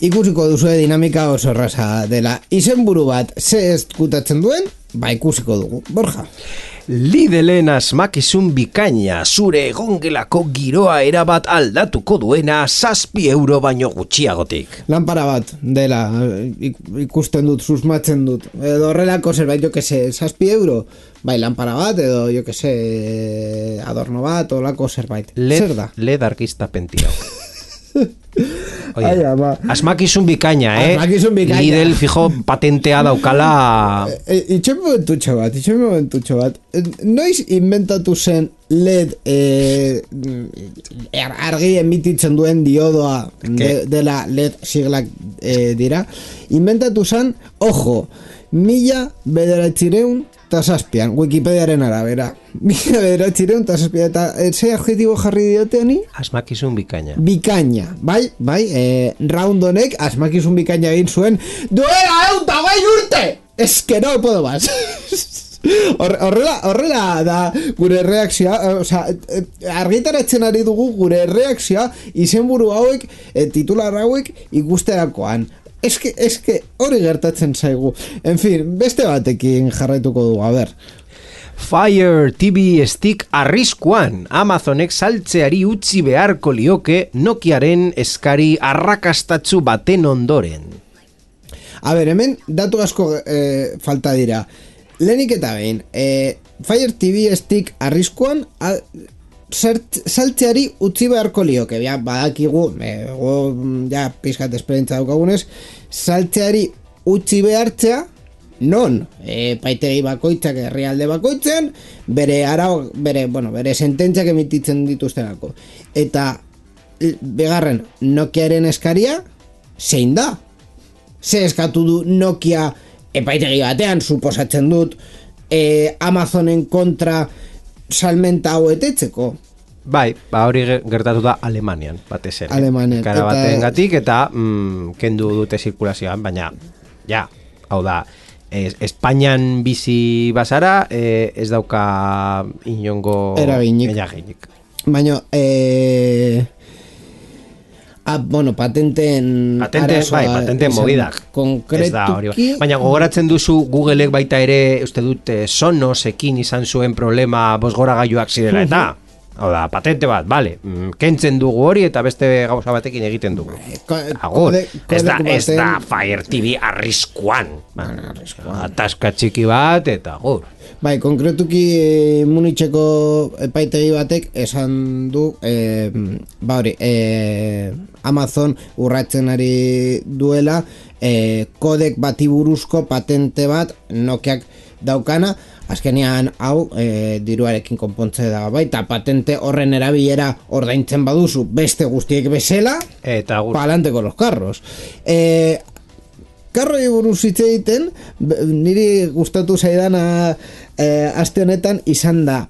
Ikusiko duzue dinamika oso erraza dela. Izenburu bat ze eskutatzen duen, ba ikusiko dugu. Borja. Lidlen asmakizun bikaina, zure egongelako giroa erabat aldatuko duena zazpi euro baino gutxiagotik. Lanpara bat dela, ikusten dut, susmatzen dut. Edo horrelako zerbait, jo que se, zazpi euro, bai, lanpara bat, edo jo que se, adorno bat, olako zerbait. Led, Zer da? led arkista pentirau. Oye, Ai, ama. asmakizun bikaina, eh? Asmakizun bikaina. Lidl fijo patentea daukala. E, itxen momentutxo bat, itxen momentutxo bat. Noiz inventatu zen L E D e, argi emititzen duen diodoa de, dela L E D siglak e, dira. Inventatu zen, ojo, mila bederatzireun tasazpian, Wikipediaren arabera. Mila bederatzireun tasazpian, eta ze adjetibo jarri dioteani? Asmakizun bikaina. Bikaina, bai, bai, e, round honek asmakizun bikaina egin zuen, duela euta gai urte! Ez que no puedo más. Horrela, horrela da gure reakzioa, o sea, argitaratzen ari dugu gure reakzioa izenburu hauek, e, titular hauek ikusterakoan. Eske, eske hori gertatzen zaigu. En fin, beste batekin jarraituko dugu, a ber. Fire T V Stick arriskuan, Amazonek saltzeari utzi beharko lioke Nokiaren eskari arrakastatzu baten ondoren. A ber, hemen datu asko eh, falta dira. Lehenik eta behin, eh, Fire T V Stick arriskuan a, zert, saltzeari utzi beharko lioke. Ja, badakigu, eh, go, ja, pizkat esperientza daukagunez, saltzeari utzi behartzea, non, e, paitegi bakoitzak herrialde bakoitzen, bere arau, bere, bueno, bere sententziak emititzen dituztenako. Eta, bigarren, Nokiaren eskaria, zein da? Ze eskatu du Nokia epaitegi batean, suposatzen dut, e, Amazonen kontra salmenta hau etetzeko? Bai, ba hori gertatu da Alemanian, batez ere. Alemanian. Kara baten gatik, eta mm, kendu dute zirkulazioan, baina, ja, hau da, es, Espainian bizi bazara, eh, ez dauka inongo eraginik. eraginik. Baina, eh... Ah, bueno, patenten Patente, arazoa, bai, patenten movidak. Konkretuki, baina gogoratzen duzu Googleek baita ere, uste dut, eh, Sonosekin izan zuen problema bosgoragailuak zirela eta. Hau da, patente bat, bale, kentzen dugu hori eta beste gauza batekin egiten dugu. Agur, ez da, ez da Fire T V arriskuan. Ataska txiki bat eta agur. Bai, konkretuki Munitzeko epaitegi batek esan du, eh, ba hori, eh, Amazon urratzen ari duela eh, kodek bati buruzko patente bat Nokiak daukana, azkenean hau e, diruarekin konpontze da, baita patente horren erabilera ordaintzen baduzu beste guztiek bezala, eta palante con los carros. E, karroi buruz hitz egiten, niri gustatu zaidana e, aste honetan izan da.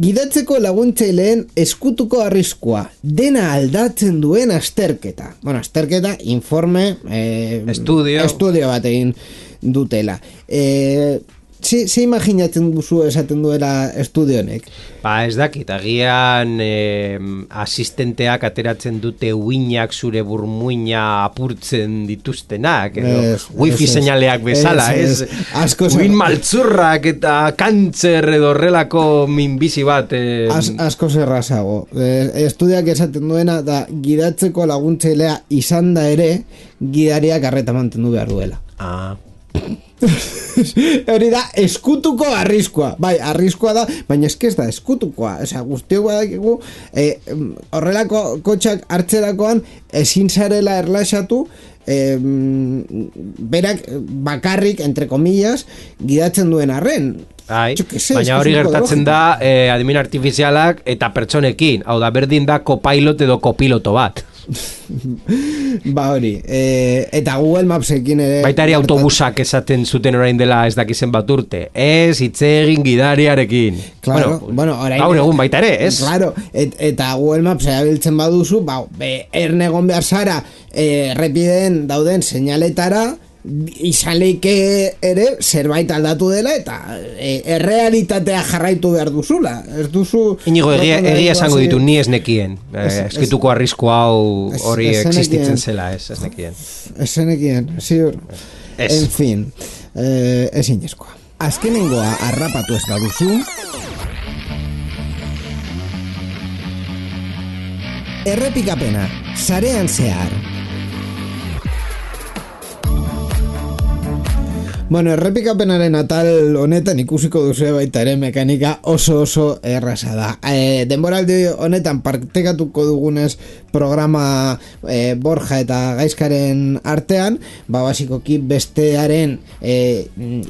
Gidatzeko laguntzaileen eskutuko arriskua, dena aldatzen duen azterketa. Bueno, azterketa, informe, e, estudio. estudio bat egin dutela. E, Zi, zi imaginatzen duzu esaten duela estudionek? Ba, ez dakit, agian eh, asistenteak ateratzen dute uinak zure burmuina apurtzen dituztenak, edo es, wifi es, seinaleak bezala, ez? es, es. Uin maltzurrak eta kantzer edo horrelako minbizi bat. Eh, As, asko zerrazago. E, estudiak esaten duena da gidatzeko laguntzailea izan da ere gidariak arreta mantendu behar duela. Ah. Hori da eskutuko arriskua. Bai, arriskua da, baina eske ez da eskutukoa. Osea, guztiok badakigu eh, horrelako kotxak hartzerakoan ezin zarela erlaxatu, eh, berak bakarrik, entre comillas, gidatzen duen arren. Ai, sé, baina hori gertatzen da eh, adimen artifizialak eta pertsonekin. Hau da, berdin da kopilot edo kopiloto bat. Ba hori, e, eta Google Mapsekin ere baita ere autobusak esaten zuten orain dela ez dakizen bat urte, ez hitz egin gidariarekin. Claro, bueno, bueno, orain gaur egun baita ere, ez? Claro, et, eta Google Maps erabiltzen baduzu, ba, be, erne egon behar zara e, errepideen dauden seinaletara, izan leike ere zerbait aldatu dela eta e, errealitatea jarraitu behar duzula. Ez duzu... Inigo, egia, egia esango ditu, ni ez nekien. Eh, eskituko arrisku hau hori existitzen zela, ez, ez nekien. Ez zenekien, ziur. En fin, eh, ez inezkoa. Azkenengoa harrapatu ez baduzu, errepikapena, sarean zehar. Bueno, errepikapenaren atal honetan ikusiko duzu baita ere mekanika oso oso erraza da. E, denboraldi honetan partekatuko dugunez programa e, Borja eta Gaizkaren artean, ba basikoki bestearen e,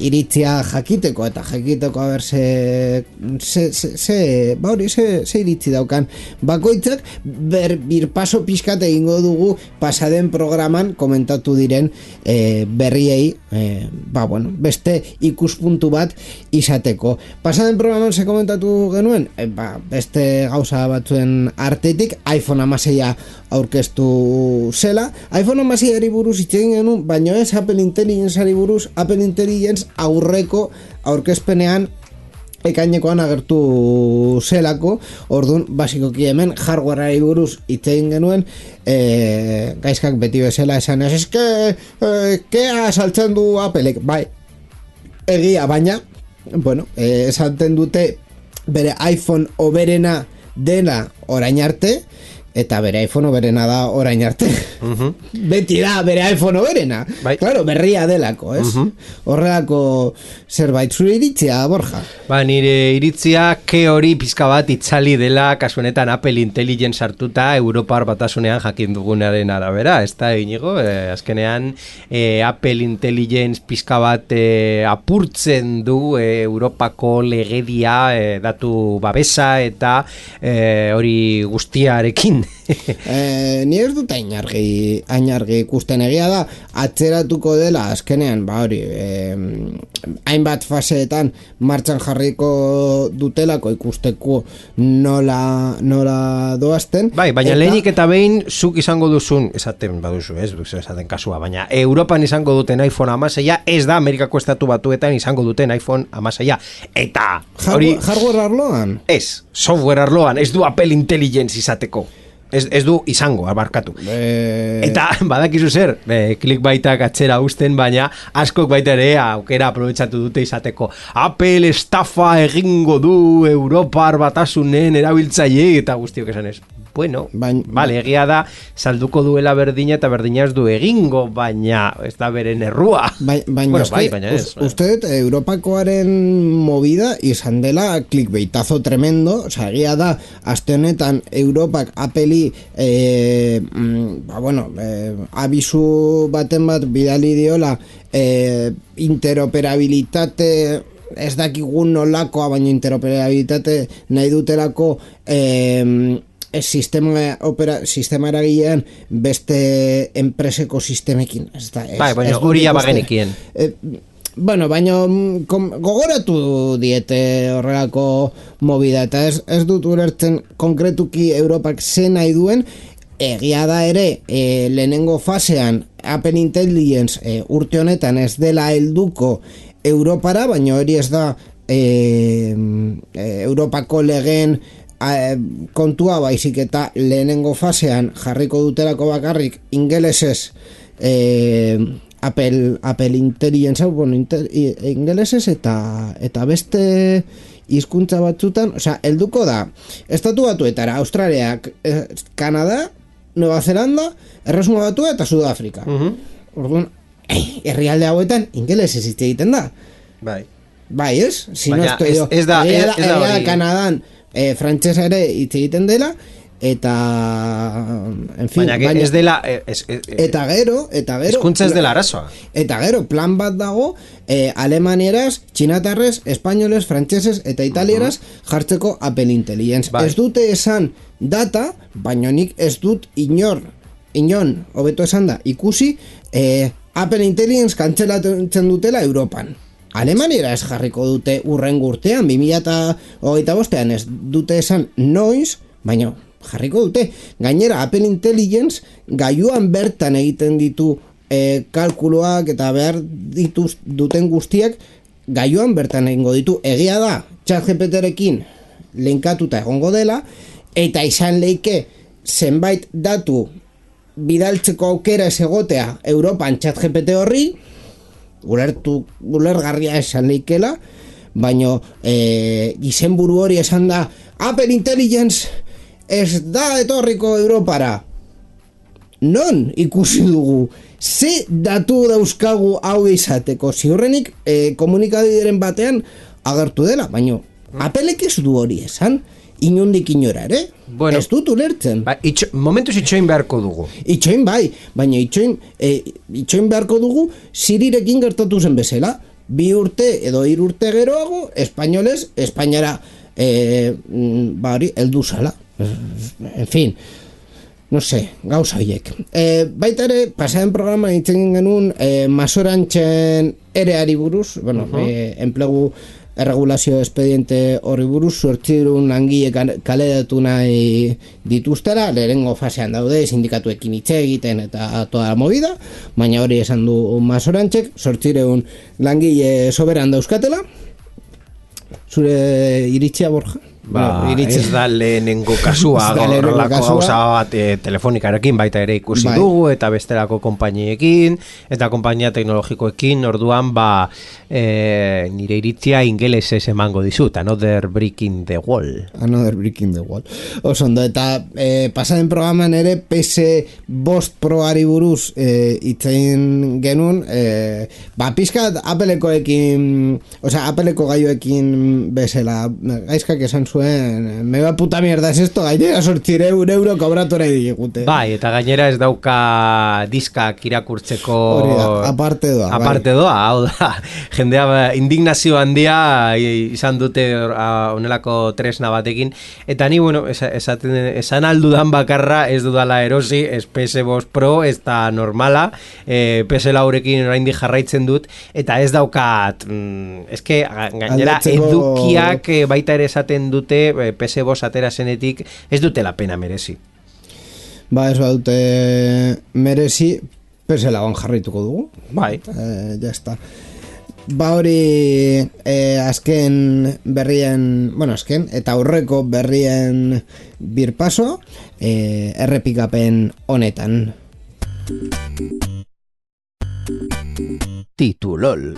iritzia jakiteko eta jakiteko haber ze ze ze, ze ba hori ze, ze iritzi daukan bakoitzak ber, birpaso pixkat egingo dugu pasaden programan komentatu diren e, berriei e, ba bueno, beste ikuspuntu bat izateko. Pasaden programan se komentatu genuen, e, ba, beste gauza batzuen artetik iPhone hamasei aurkeztu zela. iPhone hamasei buruz hitz egin genuen, baina ez Apple Intelligence buruz. Apple Intelligence aurreko aurkezpenean ekainekoan agertu zelako, orduan basikoki hemen hardwareari buruz hitz egin genuen. E, gaizkak beti bezala esan ez, eske e, kea saltzen du Applek, bai egia, baina bueno, e, esaten dute bere iPhone oberena dela orain arte, eta bere iPhone oberena da orain arte. Uh-huh. Beti da bere iPhone oberena. Bai. Claro, berria delako, ez? Uh-huh. Horrelako zerbait zure iritzia, Borja? Ba, nire iritzia ke hori pizka bat itzali dela kasuenetan Apple Intelligence hartuta Europar batasunean jakin dugunaren arabera, ez da, Inigo? Eh, azkenean eh, Apple Intelligence pizka bat eh, apurtzen du eh, Europako legedia eh, datu babesa eta eh, hori guztiarekin. eh, ni ez dut ainargi, ainargi ikusten, egia da atzeratuko dela azkenean, ba hori eh, hainbat faseetan martxan jarriko dutelako ikusteko nola, nola doazten. Bai, baina eta... lehenik eta behin zuk izango duzun, esaten baduzu, ez, esaten kasua, baina Europan izango duten iPhone hamasei ez da Amerikako estatu batuetan izango duten iPhone hamasei eta hori... Hardware arloan? Ez, software arloan, ez du Apple Intelligence izateko. Ez, ez du izango, abarkatu. E... Eta badakizu zer, e, clickbaitak atzera usten, baina askok baita ere aukera aprobetxatu dute izateko. Apple estafa egingo du Europar batasunen erabiltzaile eta guztiok esan ez. Bueno, Bain, vale, egia da salduko duela berdina eta berdina ez du egingo, baina ez da beren errua. Baina, baina, bueno, bai, baina ez. Uste, Europakoaren movida izan dela clickbaitazo tremendo, oza, egia da, aste honetan Europak Apple eh, ba, bueno, eh, abisu baten bat bidali diola eh, interoperabilitate ez dakigun nolakoa, baina interoperabilitate nahi dutelako eh, ez sistema, opera, sistema eragilean beste enpreseko sistemekin. Ez da, ez, bai, baina hori ja bagenekien. Eh, bueno, baina kom, gogoratu diete horrelako movida, eta ez, ez dut ulertzen konkretuki Europak ze nahi duen. Egia da ere, e, lehenengo fasean Apple Intelligence e, urte honetan ez dela helduko Europara, baina hori ez da e, e, Europako legeen e, kontua, baizik eta lehenengo fasean jarriko dutelako bakarrik ingelesez e, Apple, Apple Intelligence, bueno, inter, ingelesez eta, eta beste hizkuntza batzutan, osea, helduko da Estatu Batuetara, Australiak, eh, Kanada, Nueva Zelanda, Erresuma Batua eta Sudafrika. Uh-huh. Orduan, eh, herrialde hauetan ingelesez hitz egiten da. Bai. Bai, ez? Si baina no estoy ez, ez da, ez, ez da hori. Kanadan eh, frantsesa ere hitz egiten dela, eta en fin, baina, baina ez dela ez, ez, eta gero, eta gero hizkuntza ez dela arazoa. Eta gero plan bat dago eh, alemanieraz, txinatarrez, espainoles, frantseses eta italieraz jartzeko Apple Intelligence. Bai. Ez dute esan data, baina nik ez dut inor, inon, hobeto esan da, ikusi eh, Apple Intelligence kantzelatzen dutela Europan. Alemaniera ez jarriko dute urrengo urtean, bi mila hogeita bostean ez dute esan noiz, baina jarriko dute. Gainera, Apple Intelligence gailuan bertan egiten ditu e, kalkuloak eta behar dituz duten guztiak gailuan bertan egingo ditu. Egia da, ChatGPTrekin linkatuta egongo dela, eta izan leike zenbait datu bidaltzeko aukera ez egotea Europan ChatGPT horri, ulertu, ulergarria esan leikela, baina e, izenburu hori esan da Apple Intelligence ez da etorriko Europara. Non ikusi dugu? Ze datu dauzkagu hau izateko? Ziurrenik e, komunikabideren batean agertu dela, baina Applek ez du hori esan, inundik inora ere, bueno, ez dut ulertzen. Ba, itxo, momentuz itxoin beharko dugu. Itxoin bai, baina itxoin, e, itxoin beharko dugu Sirirekin gertatu zen bezala. Bi urte edo hiru urte geroago, espainoles, Espainiara e, ba hori, heldu zala. En fin, no sé, gauza horiek. E, baita ere, pasaren programa itzen genuen e, masorantzen ereari buruz, bueno, uh-huh. e, enplegu erregulazio espediente horri buruz, zortzirun langile kaleratu nahi dituztera, lehenengo fasean daude, sindikatuekin hitz egiten eta toda la movida, baina hori esan du masorantzek, zortzirun langile soberan dauzkatela. Zure iritzia, Borja? Ba, no, ez da lehenengo kasua, horrelako gauza bat e, telefonikarekin baita ere ikusi bai. Dugu, eta bestelako konpainiekin, eta konpainia teknologikoekin, orduan, ba, e, nire iritzia ingelesez emango dizut, another breaking the wall. Another breaking the wall. Osondo, eta e, pasaden programan ere P S bost Proari buruz e, itzein genuen, e, ba, pizkat Applekoekin, osea, Appleko gaioekin bezala, gaizkak esan zuen, me va puta mierda es esto, gainera sortzire un euro kobratu nahi digute. Bai, eta gainera ez dauka diskak irakurtzeko da, aparte doa. Aparte doa, hau da, jendea indignazio handia izan dute honelako tresna batekin, eta ni, bueno, esaten, esan aldudan bakarra ez dudala erosi, ez P S bost Pro, ez da normala, eh, P S laurekin oraindik jarraitzen dut, eta ez daukat, mm, ez que gainera Aldatzeko... edukiak baita ere esaten dute P S bost atera zenetik ez dutela pena merezi. Ba, ez badute merezi, P S lauan jarrituko dugu. Bai. Eh, ya está. Ba hori eh, azken berrien, bueno, azken, eta aurreko berrien birpaso eh, errepikapen honetan. Titulol.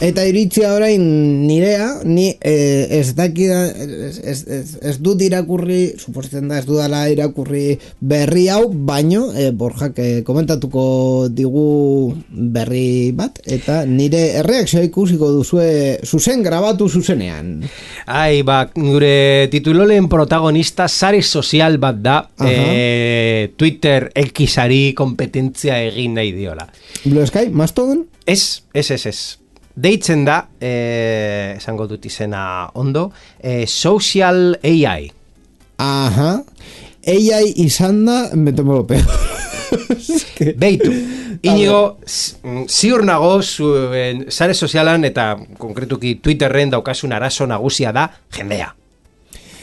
Eta iritzia orain nirea, ni eh, ez dakida, ez, ez, ez, ez dut irakurri, suposatzen da ez dudala irakurri berri hau, baino, eh, Borjak eh, komentatuko digu berri bat, eta nire erreakzioa ikusiko duzue zuzen grabatu zuzenean. Ai, ba, gure titulolen protagonista sare sozial bat da, eh, Twitter X-ari kompetentzia egin nahi diola. Blue Sky, Mastodon? Ez, ez, ez, ez. deitzen da, eh, esango dut izena ondo, eh, Social A I. Aha, A I izan da, me tomo lo peor. Beitu, Inigo, ziur nago zuen sare sozialan eta konkretuki Twitterren daukasun arazo nagusia da jendea.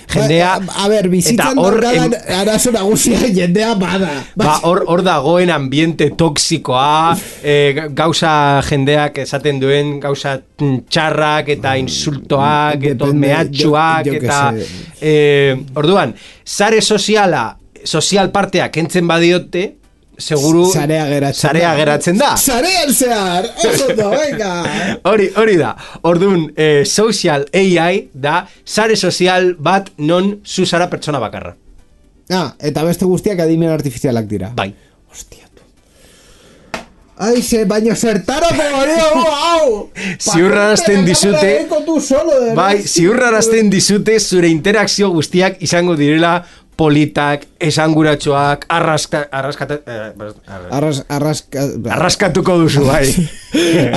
Jendea, ba, a, a ber, bizitzan daukadan em... arazo nagusia jendea bada. Ba, hor, hor dagoen ambiente toksikoa, e, gauza jendeak esaten duen gauza txarrak eta insultoak, eta mehatxuak, eta... E, orduan, sare soziala, sozial partea kentzen badiote, seguru Zarea geratzen, zarea geratzen da. Zarean zehar, oso da, venga. Hori, hori da. Orduan, eh, Social A I da sare sozial bat non zu zara pertsona bakarra. Ah, eta beste guztiak adimen artifizialak dira. Bai. Hostia, tu. Ai, se, baina zertarako gari, hau! Ziurrarazten dizute, bai, ziurrarazten dizute zure interakzio guztiak izango direla politak, esanguratxoak, arraska, arraskata, eh, Arras, arraska, arraskatuko duzu, bai.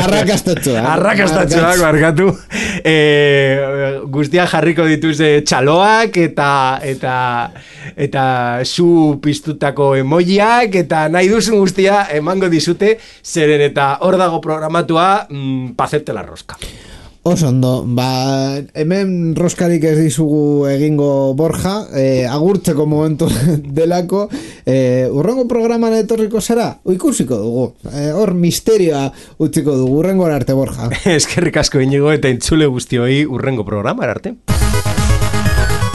Arrakastatxoak. Arrakastatxoak, barkatu. Eh, guztiak jarriko dituz eh, txaloak eta eta eta zu piztutako emojiak eta nahi duzun guztia emango dizute, zeren eta hor dago programatua mm, pazerte la rosca. Oso ondo, ba, hemen roskarik ez dizugu egingo Borja, eh, agurtzeko momentu delako, eh, urrengo programan etorriko zara, ikusiko dugu, eh, hor misterioa utziko dugu, urrengo arte Borja. Eskerrik asko Inigo eta entzule guztioi urrengo programa arte.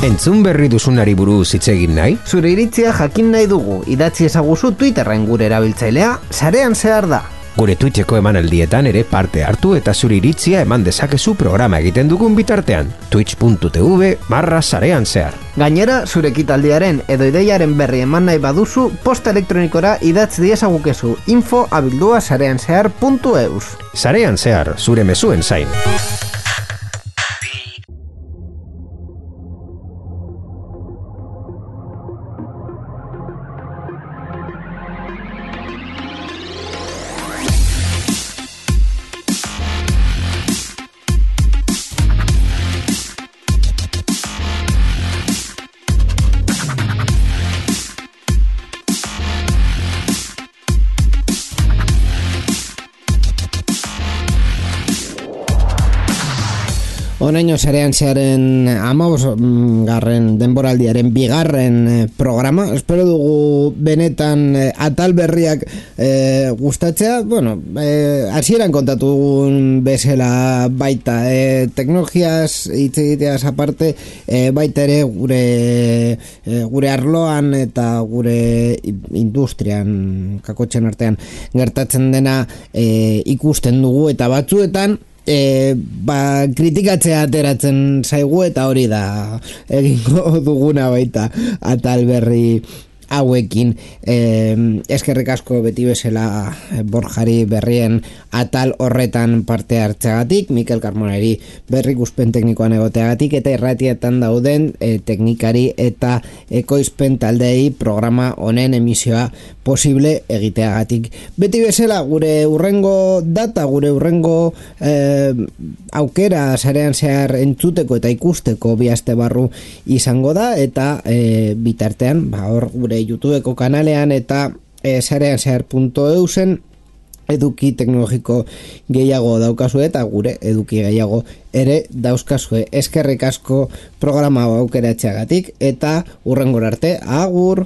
Entzun berri duzunari buruz hitz egin nahi? Zure iritzia jakin nahi dugu, idatzi ezaguzu Twitterren gure erabiltzailea, sarean zehar da. Gure Twitcheko emanaldietan ere parte hartu eta zure iritzia eman dezakezu programa egiten dugun bitartean. Twitch.tv barra sarean zehar. Gainera, zure ekitaldiaren edo ideiaren berri eman nahi baduzu, posta elektronikora idatz diezagukezu info abildua sarean zehar puntu eus. Sarean zehar, zure mezuen zain. Honeño sarean zearen amabos garren denboraldiaren bigarren programa. Espero dugu benetan atal berriak e, gustatzea. Bueno, e, hasieran kontatu dugun bezala baita e, teknologiaz hitz egiteaz aparte e, baita ere gure e, gure arloan eta gure industrian kakotxen artean gertatzen dena e, ikusten dugu eta batzuetan E, ba, kritikatzea ateratzen zaigu eta hori da egingo duguna baita atal berri hauekin. E, eskerrik asko beti bezala Borjari berrien atal horretan parte hartzeagatik, Mikel Carmoneri berrikuspen teknikoan egoteagatik eta irratietan dauden e, teknikari eta ekoizpen taldei programa honen emisioa posible egiteagatik. Beti bezala gure urrengo data, gure urrengo eh, aukera sarean zehar entzuteko eta ikusteko bi aste barru izango da eta eh, bitartean ba, hor gure YouTubeko kanalean eta eh, sarean zehar puntu eusen eduki teknologiko gehiago daukazu eta gure eduki gehiago ere dauzkazue. Eskerrik asko programa aukeratzeagatik eta urrengora arte, agur!